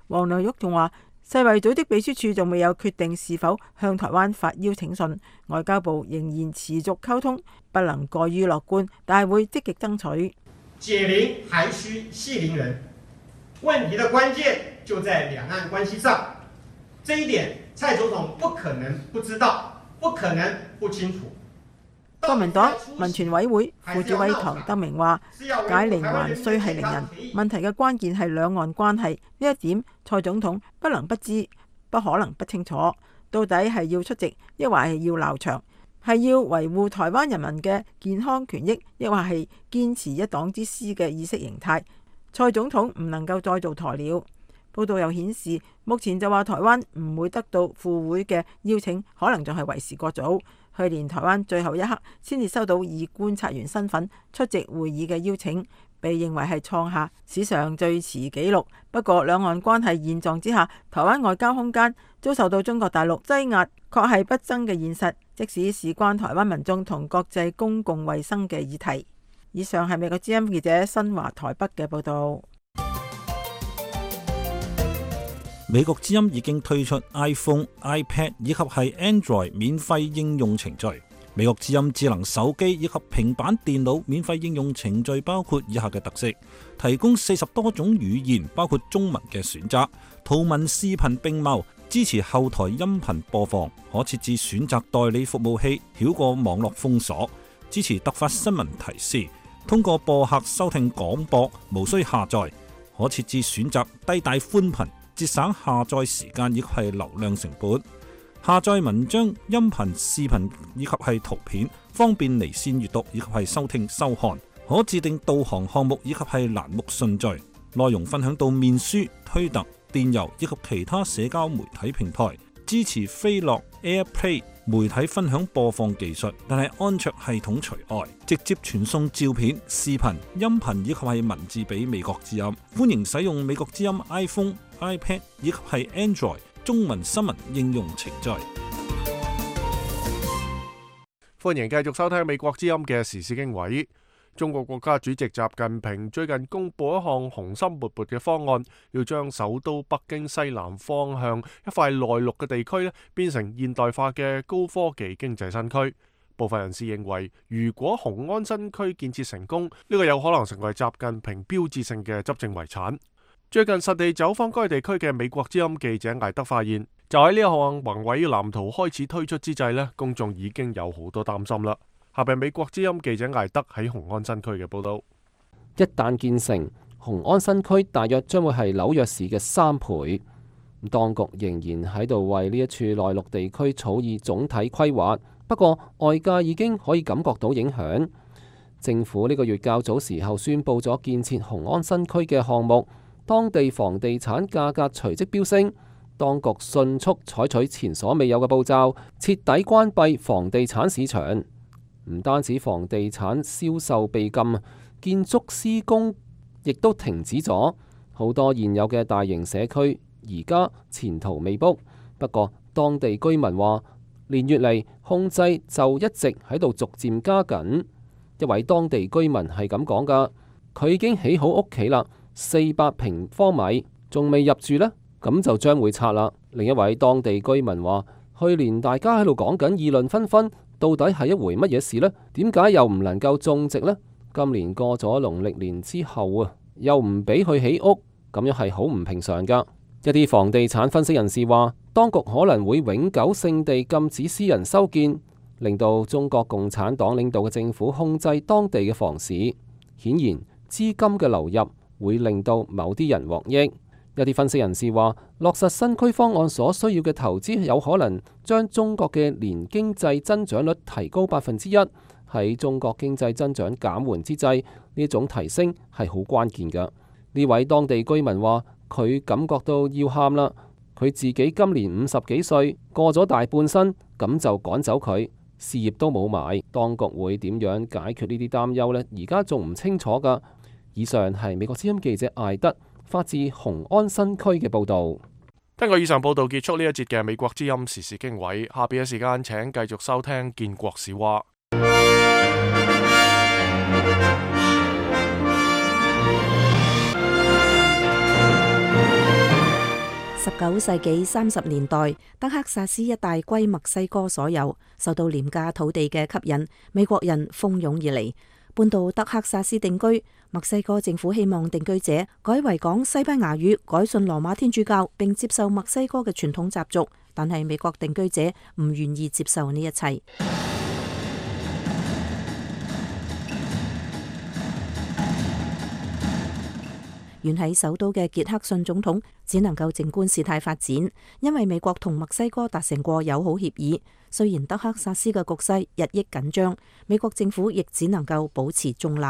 黃良玉仲話，世衛組織秘書處仲未有決定是否向台灣發邀請信，外交部仍然持續溝通，不能過於樂觀，但係會積極爭取。解鈴還須繫鈴人，問題的關鍵就在兩岸關係上，這一點蔡總統不可能不知道，不可能不清楚。國民黨民權委會副主委唐德明話，解鈴還須繫鈴人，問題嘅關鍵係兩岸關係，呢一點蔡總統不能不知，不可能不清楚。到底係要出席，抑或係要鬧場？係要維護台灣人民嘅健康權益，抑或係堅持一黨之師嘅意識形態？蔡總統唔能夠再做鴕鳥。報道又顯示，目前就話台灣唔會得到赴會嘅邀請，可能仲係為時過早。去年台灣最後一刻先至收到以觀察員身份出席會議嘅邀請，被認為係創下史上最遲紀錄。不過兩岸關係現狀之下，台灣外交空間遭受到中國大陸擠壓，確係不爭嘅現實，即使事關台灣民眾同國際公共衛生嘅議題。以上係美國之音記者新華台北嘅報道。美國之音已經推出 iPhone、iPad 以及係 Android 免費應用程序。美國之音智能手機以及平板電腦免費應用程序包括以下嘅特色：提供四十多種語言，包括中文嘅選擇，圖文視頻並茂，支持後台音頻播放，可設置選擇代理服務器，繞過網絡封鎖，支持突發新聞提示，通過播客收聽廣播，無需下載，可設置選擇低帶寬頻，節省下載時間亦係流量成本。下載文章、音頻、視頻以及係圖片，方便離線閱讀以及係收聽收看。可自定導航項目以及係欄目順序，內容分享到面書、推特、電郵以及其他社交媒體平台。支持飛樂 AirPlay 媒體分享播放技術，但係安卓系統除外，直接傳送照片、視頻、音頻以及係文字俾美國之音。歡迎使用美國之音 iPhone、iPad 以及係 Android 中文新聞應用程序。歡迎繼續收聽美國之音嘅時事經緯。中國國家主席習近平最近公布一項雄心勃勃嘅方案，要將首都北京西南方向一塊內陸嘅地區咧，變成現代化嘅高科技經濟新區。部分人士認為，如果雄安新區建設成功，呢、這個有可能成為習近平標誌性嘅執政遺產。最近實地走訪該地區嘅美國之音記者艾德發現，就喺呢一項宏偉藍圖開始推出之際咧，公眾已經有好多擔心啦。下邊美國之音記者艾德喺雄安新區嘅報道。一旦建成，雄安新區大約將會係紐約市嘅三倍。當局仍然喺度為呢一處內陸地區草擬總體規劃，不過外界已經可以感覺到影響。政府呢個月較早時候宣布咗建設雄安新區嘅項目，當地房地產價格隨即飆升，當局迅速採取前所未有嘅步驟，徹底關閉房地產市場。唔單止房地產銷售被禁，建築施工亦都停止咗。好多現有嘅大型社區而家前途未卜。不過當地居民話，連月嚟控制就一直喺度逐漸加緊。一位當地居民係咁講噶，佢已經起好屋企啦，四百平方米，仲未入住呢，咁就將會拆啦。另一位當地居民話，去年大家喺度講緊議論紛紛。到底係一回乜嘢事呢？點解又唔能夠種植呢？今年過咗農曆年之後啊，又唔俾佢起屋，咁樣係好唔平常噶。一啲房地產分析人士話，當局可能會永久性地禁止私人修建，令到中國共產黨領導嘅政府控制當地嘅房市。顯然，資金嘅流入會令到某啲人獲益。一啲分析人士話，落實新區方案所需要嘅投資有可能將中國嘅年經濟增長率提高百分之一。喺中國經濟增長減緩之際，呢種提升係好關鍵㗎。呢位當地居民話，佢感覺到要喊啦。佢自己今年五十幾歲，過咗大半生，咁就趕走佢，事業都冇埋。當局會點樣解決呢啲擔憂呢？而家仲唔清楚㗎。以上係美國之音記者艾德發自雄安新區嘅報導。根據以上報導結束呢一節嘅美國之音時事經緯，下邊嘅時間請繼續收聽建國史話。十九世紀三十年代，德克薩斯一帶歸墨西哥所有，受到廉價土地嘅吸引，美國人蜂擁而嚟，搬到德克薩斯定居。墨西哥政府希望定居者改為講西班牙語，改信羅馬天主教，並接受墨西哥嘅傳統習俗，但係美國定居者唔願意接受呢一切。遠喺首都嘅傑克遜總統只能夠靜觀事態發展，因為美國同墨西哥達成過友好協議。雖然德克薩斯嘅局勢日益緊張，美國政府亦只能夠保持中立。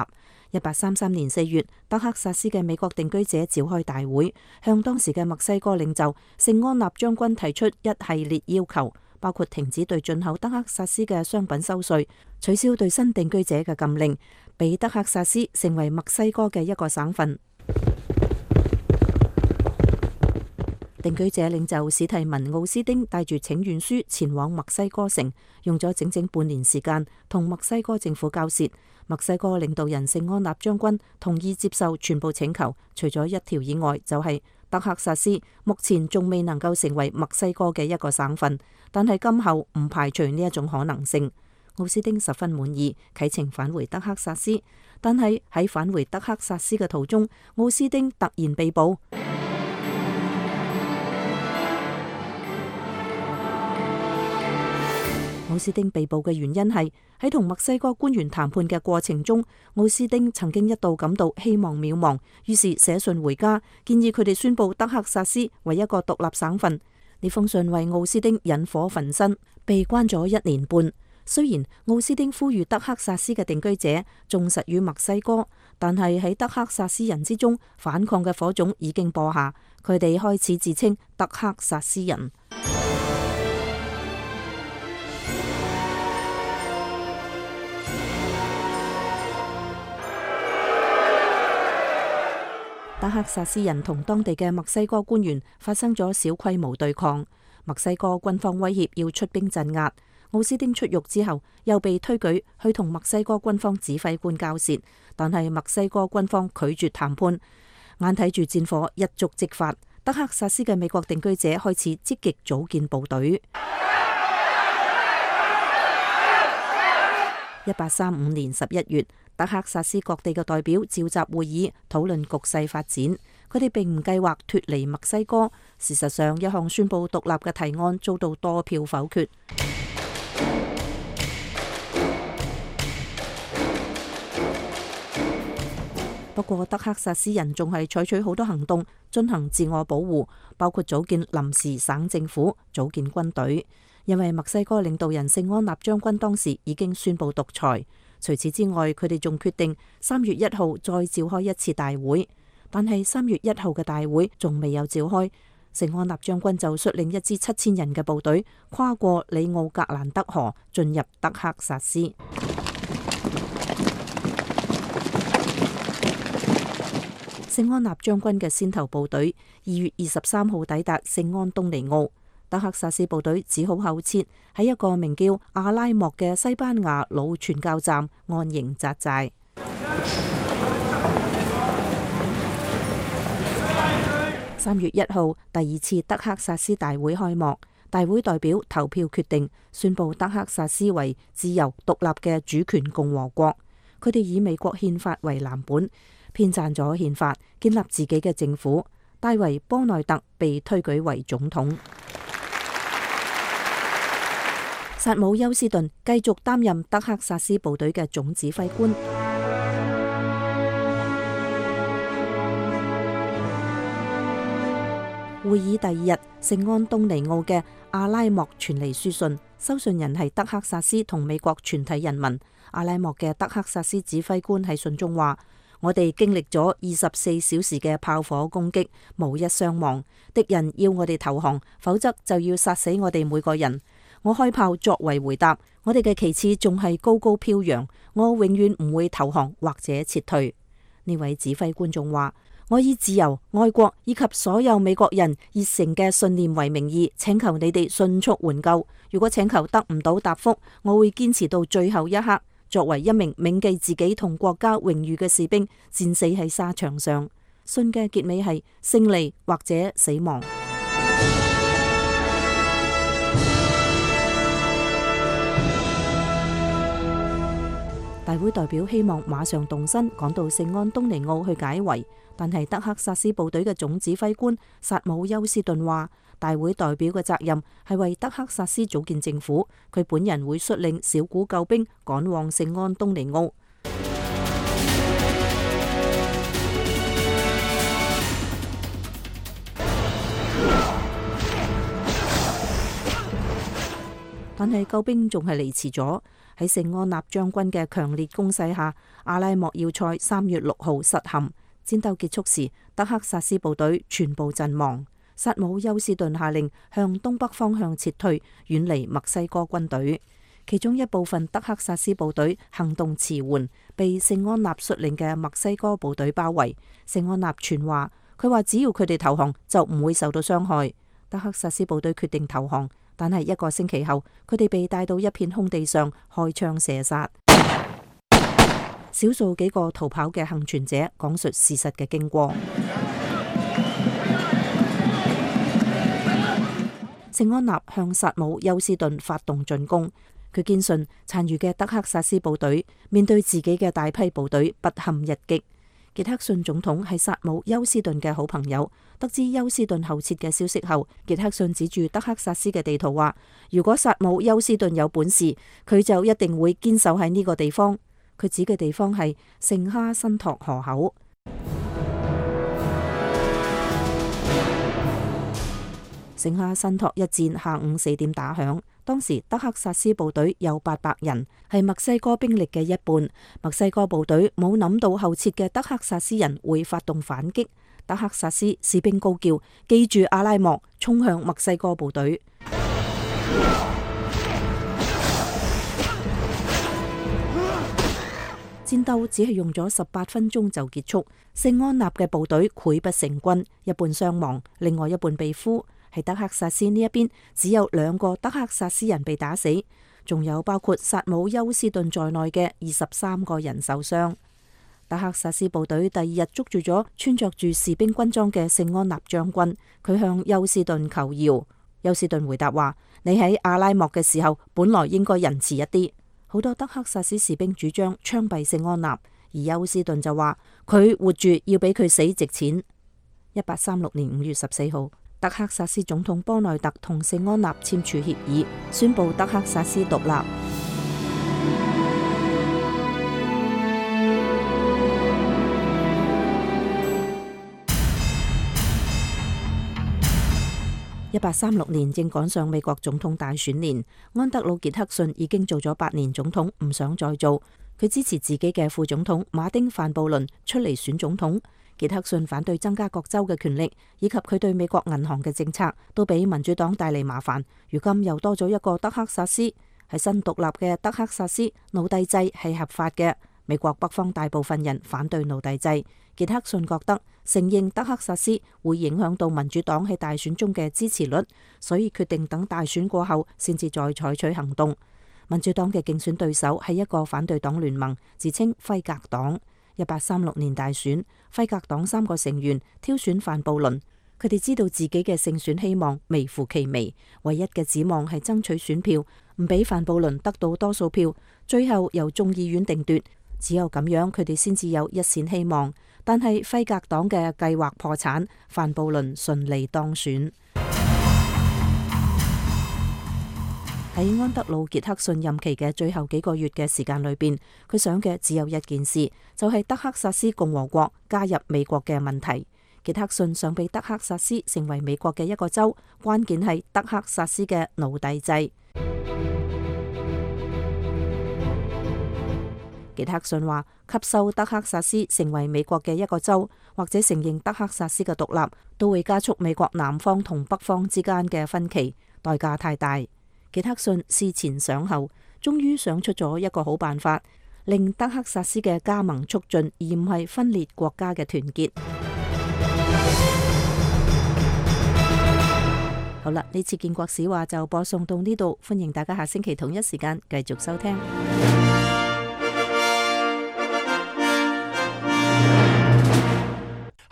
一八三三年四月，德克薩斯嘅美國定居者召開大會，向當時嘅墨西哥領袖聖安納將軍提出一系列要求，包括停止對進口德克薩斯嘅商品收稅，取消對新定居者嘅禁令，俾德克薩斯成為墨西哥嘅一個省份。定居者領袖史提文奧斯丁帶住請願書前往墨西哥城，用咗整整半年時間同墨西哥政府交涉。墨西哥領導人聖安納將軍同意接受全部請求，除咗一條以外，就係德克薩斯目前仲未能夠成為墨西哥嘅一個省份，但係今後唔排除呢一種可能性。奧斯丁十分滿意，啟程返回德克薩斯，但係喺返回德克薩斯嘅途中，奧斯丁突然被捕。奧斯丁被捕嘅原因係喺同墨西哥官員談判嘅過程中，奧斯丁曾經一度感到希望渺茫，於是寫信回家，建議佢哋宣布德克薩斯為一個獨立省份。呢封信為奧斯丁引火焚身，被關咗一年半。雖然奧斯丁呼籲德克薩斯嘅定居者忠實於墨西哥，但係喺德克薩斯人之中，反抗嘅火種已經播下，佢哋開始自稱德克薩斯人。德克薩斯人同當地嘅墨西哥官員發生咗小規模對抗，墨西哥軍方威脅要出兵鎮壓。奧斯丁出獄之後，又被推舉去同墨西哥軍方指揮官交涉，但係墨西哥軍方拒絕談判，眼睇住戰火一觸即發，德克薩斯嘅美國定居者開始積極組建部隊。一八三五年十一月，德克薩斯各地嘅代表召集會議，討論局勢發展。佢哋並唔計劃脫離墨西哥。事實上，一項宣布獨立嘅提案遭到多票否決。不過，德克薩斯人仲係採取好多行動進行自我保護，包括組建臨時省政府、組建軍隊。因為墨西哥領導人聖安納將軍當時已經宣布獨裁。除此之外，佢哋仲決定三月一號再召開一次大會。但係三月一號嘅大會仲未有召開，聖安納將軍就率領一支七千人嘅部隊跨過里奧格蘭德河，進入德克薩斯。聖安納將軍嘅先頭部隊二月二十三號抵達聖安東尼奧，德克薩斯部隊只好後撤喺一個名叫阿拉莫嘅西班牙老傳教站安營紮寨。三月一號，第二次德克薩斯大會開幕，大會代表投票決定宣布德克薩斯為自由獨立嘅主權共和國。佢哋以美國憲法為藍本，編撰咗憲法，建立自己嘅政府。戴維·波內特被推舉為總統。薩姆·休斯頓繼續擔任德克薩斯部隊嘅總指揮官。會議第二日，聖安東尼奧嘅阿拉莫傳嚟書信，收信人係德克薩斯同美國全體人民。阿拉莫嘅德克薩斯指揮官喺信中話：我哋經歷咗二十四小時嘅炮火攻擊，無一傷亡。敵人要我哋投降，否則就要殺死我哋每個人。我開炮作為回答，我哋嘅旗幟仲係高高飄揚。我永遠唔會投降或者撤退。呢位指揮官仲話：我以自由、愛國以及所有美國人熱誠嘅信念為名義，請求你哋迅速援救。如果請求得唔到答覆，我會堅持到最後一刻。作為一名銘記自己同國家榮譽嘅士兵，戰死喺沙場上。信嘅結尾係勝利或者死亡。大會代表希望馬上動身趕到聖安東尼奧去解圍，但係德克薩斯部隊嘅總指揮官薩姆休斯頓話，大會代表嘅責任係為德克薩斯組建政府，佢本人會率領小股救兵趕往聖安東尼奧。但係救兵仲係嚟遲咗。喺聖安納將軍嘅強烈攻勢下，阿拉莫要塞三月六號失陷。戰鬥結束時，德克薩斯部隊全部陣亡。薩姆休斯頓下令向東北方向撤退，遠離墨西哥軍隊。其中一部分德克薩斯部隊行動遲緩，被聖安納率領嘅墨西哥部隊包圍。聖安納傳話，佢話只要佢哋投降，就唔會受到傷害。德克薩斯部隊決定投降。但係一個星期後，佢哋被帶到一片空地上開槍射殺。少數幾個逃跑嘅幸存者講述事實嘅經過。聖安納向薩姆休斯頓發動進攻，佢堅信殘餘嘅德克薩斯部隊面對自己嘅大批部隊不堪一擊。傑克遜總統係薩姆休斯頓嘅好朋友，得知休斯頓後撤嘅消息後，傑克遜指住德克薩斯嘅地圖話：如果薩姆休斯頓有本事，佢就一定會堅守喺呢個地方。佢指嘅地方係聖哈辛托河口。剩下申托一戰下午四點打響，當時德克薩斯部隊有八百人，係墨西哥兵力嘅一半。墨西哥部隊冇諗到後撤嘅德克薩斯人會發動反擊，德克薩斯士兵高叫：記住阿拉莫，衝向墨西哥部隊。戰鬥只係用咗十八分鐘就結束，聖安納嘅部隊潰不成軍，一半傷亡，另外一半被俘。喺德克薩斯呢一邊，只有兩個德克薩斯人被打死，仲有包括薩姆休斯頓在內嘅二十三個人受傷。德克薩斯部隊第二日捉住咗穿着住士兵軍裝嘅聖安納將軍，佢向休斯頓求饒。休斯頓回答話：你喺阿拉莫嘅時候，本來應該仁慈一啲。好多德克薩斯士兵主張槍斃聖安納，而休斯頓就話佢活住要比佢死值錢。一八三六年五月十四號，德克薩斯總統波內特同聖安納簽署協議，宣布德克薩斯獨立。一八三六年正趕上美國總統大選年，安德魯傑克遜已經做咗八年總統，唔想再做。佢支持自己嘅副總統馬丁范布倫出嚟選總統。傑克遜反對增加各州嘅權力，以及佢對美國銀行嘅政策，都俾民主黨帶嚟麻煩。如今又多咗一個德克薩斯，喺新獨立嘅德克薩斯，奴隸制係合法嘅。美國北方大部分人反對奴隸制。傑克遜覺得承認德克薩斯會影響到民主黨喺大選中嘅支持率，所以決定等大選過後先至再採取行動。民主黨嘅競選對手係一個反對黨聯盟，自稱輝格黨。一八三六年大選，輝格黨三個成員挑選范布倫，佢哋知道自己嘅勝選希望微乎其微，唯一嘅指望係爭取選票，唔俾范布倫得到多數票，最後由眾議院定奪。只有咁樣，佢哋先至有一線希望。但係輝格黨嘅計劃破產，范布倫順利當選。喺安德魯傑克遜任期嘅最後幾個月嘅時間裏邊，佢想嘅只有一件事，就係德克薩斯共和國加入美國嘅問題。傑克遜想俾德克薩斯成為美國嘅一個州，關鍵係德克薩斯嘅奴隸制。傑克遜話：吸收德克薩斯成為美國嘅一個州，或者承認德克薩斯嘅獨立，都會加速美國南方同北方之間嘅分歧，代價太大。傑克遜思前想後，終於想出咗一個好辦法，令德克薩斯嘅加盟促進，而唔係分裂國家嘅團結。好啦，呢次建國史話就播送到呢度，歡迎大家下星期同一時間繼續收聽。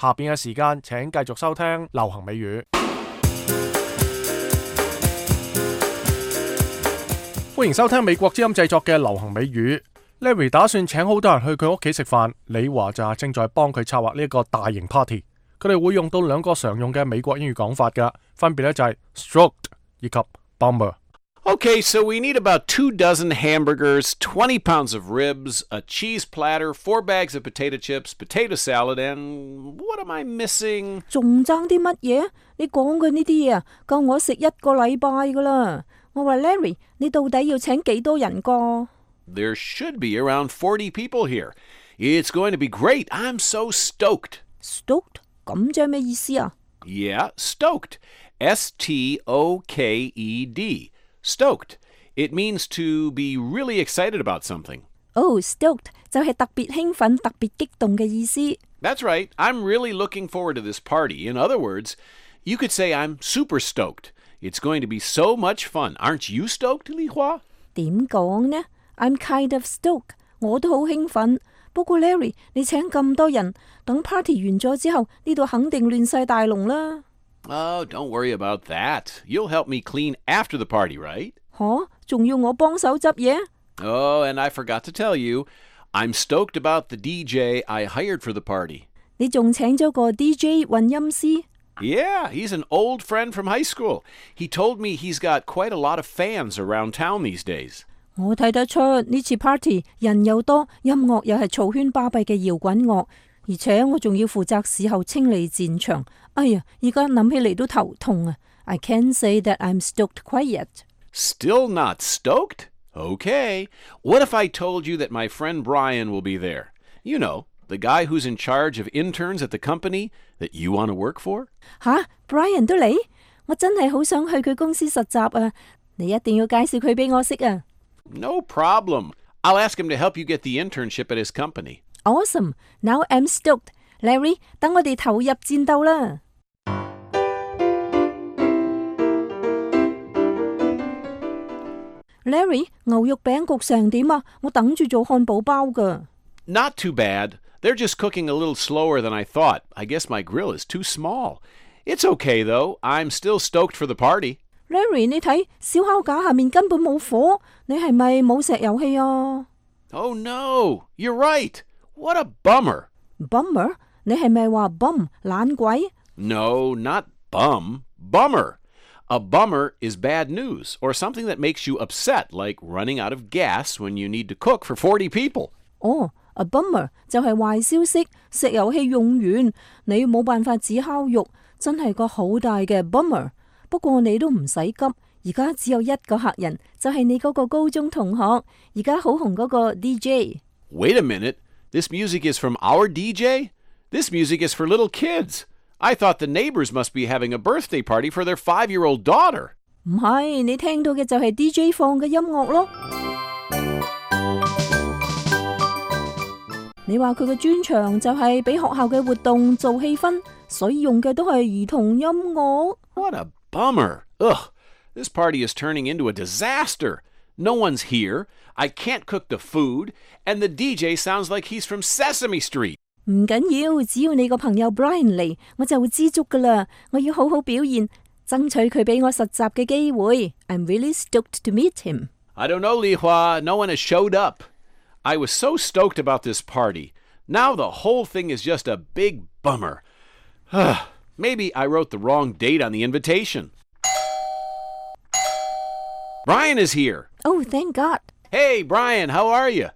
下邊嘅時間，請繼續收聽流行美語。歡迎收聽美國之音製作嘅流行美語。Larry 打算請好多人去佢屋企食飯，李華就係正在幫佢策劃呢一個大型 party。佢哋會用到兩個常用嘅美國英語講法㗎，分別咧就係 stroked 以及 bummer。Okay, so we need about two dozen hamburgers, twenty pounds of ribs, a cheese platter, four bags of potato chips, potato salad, and what am I missing? 仲爭啲乜嘢？你講嘅呢啲嘢啊，夠我食一個禮拜噶啦。我話 Larry， 你到底要請幾多人個？ There should be around forty people here. It's going to be great. I'm so stoked. Stoked? 咁即係咩意思啊？ Yeah, stoked. S T O K E D. Stoked. It means to be really excited about something. Oh, stoked 就係特別興奮、特別激動嘅意思。That's right. I'm really looking forward to this party. In other words, you could say I'm super stoked. It's going to be so much fun. Aren't you stoked, Li Hua? 點講呢？ I'm kind of stoked. 我都好興奮。不過 Larry， 你請咁多人，等 party 完咗之後，呢度肯定亂晒大龍啦。Oh, don't worry about that. You'll help me clean after the party, right? 吓，仲要我幫手執嘢？ Oh, and I forgot to tell you, I'm stoked about the D J I hired for the party. 你仲請咗個 D J 混音師？ Yeah, he's an old friend from high school. He told me he's got quite a lot of fans around town these days. 我睇得出呢次 party 人又多，音樂又係嘈喧巴閉嘅搖滾樂，而且我仲要負責事後清理戰場。哎呀，而家諗起嚟都頭痛啊。I can't say that I'm stoked quite yet. Still not stoked? Okay. What if I told you that my friend Brian will be there? You know, the guy who's in charge of interns at the company that you want to work for? 吓 ，Brian 都嚟？我真係好想去佢公司實習啊！你一定要介紹佢俾我識啊！ No problem. I'll ask him to help you get the internship at his company. Awesome. Now I'm stoked. Larry, 等我哋投入戰鬥啦！ Larry， 牛肉餅焗成點啊？我等住做漢堡包㗎。 Not too bad. They're just cooking a little slower than I thought. I guess my grill is too small. It's okay though. I'm still stoked for the party. Larry， 你睇燒烤架下面根本冇火，你係咪冇石油氣啊？ Oh no, you're right. What a bummer. Bummer？ 你係咪話 bum 懶鬼？ No, not bum. Bummer. A bummer is bad news or something that makes you upset, like running out of gas when you need to cook for forty people. 哦。A bummer 就係壞消息，石油氣用完，你冇辦法煮烤肉，真係個好大嘅 bummer。不過你都唔使急，而家只有一個客人，就係你嗰個高中同學，而家好紅嗰個 D J。Wait a minute, this music is from our D J? This music is for little kids. I thought the neighbors must be having a birthday party for their five-year-old daughter. 唔係，你聽到嘅就係 D J 放嘅音樂咯。你話佢嘅專長就係俾學校嘅活動做氣氛，所以用嘅都係兒童音樂。 What a bummer. Ugh, this party is turning into a disaster. No one's here. I can't cook the food. And the D J sounds like he's from Sesame Street. 唔緊要，只要你個朋友 Brian 嚟，我就會知足噶啦。我要好好表現，爭取佢俾我實習嘅機會。I'm really stoked to meet him. I don't know, Li Hua. No one has showed up. I was so stoked about this party. Now the whole thing is just a big bummer. Maybe I wrote the wrong date on the invitation. Brian is here. Oh, thank God. Hey, Brian, how are you?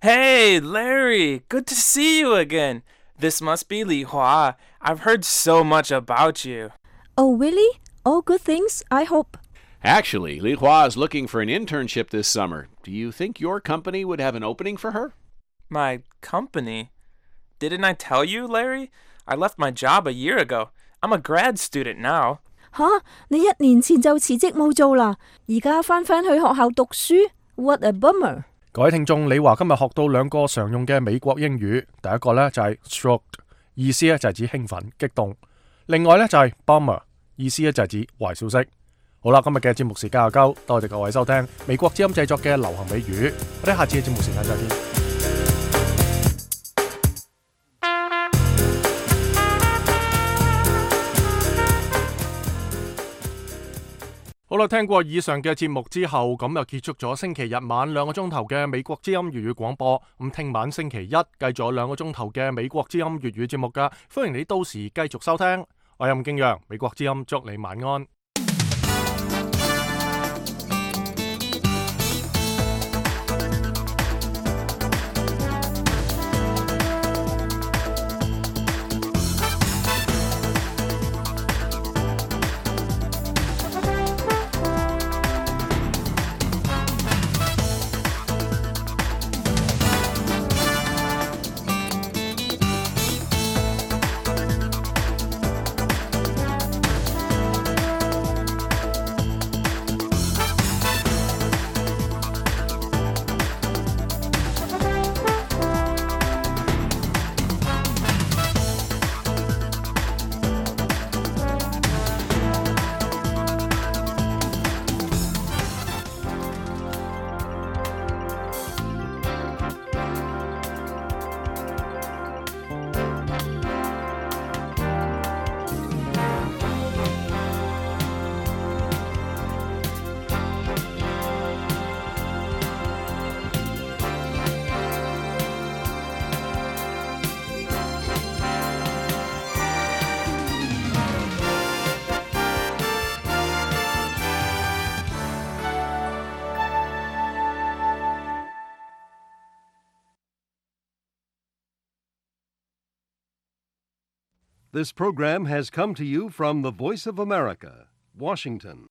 Hey, Larry. Good to see you again. This must be Li Hua. I've heard so much about you. Oh, really? All good things, I hope. Actually, Li Hua is looking for an internship this summer. Do you think your company would have an opening for her? My company? Didn't I tell you, Larry? I left my job a year ago. I'm a grad student now. 吓，你一年前就辭職冇做啦，而家返返去學校讀書 ？What a bummer！ 各位聽眾，李華今日學到兩個常用嘅美國英語，第一個呢就係 stoked， 意思呢就係指興奮、激動；另外呢就係 bummer， 意思呢就係指壞消息。好啦，今日嘅節目時間又夠，多謝各位收聽美國之音製作嘅流行美語，我哋下次嘅節目時間再見。好啦，聽過以上嘅節目之後，咁又結束咗星期日晚兩個鐘頭嘅美國之音粵語廣播。咁聽晚星期一繼續有兩個鐘頭嘅美國之音粵語節目噶，歡迎你到時繼續收聽。我係吳敬陽，美國之音祝你晚安。This program has come to you from the Voice of America, Washington.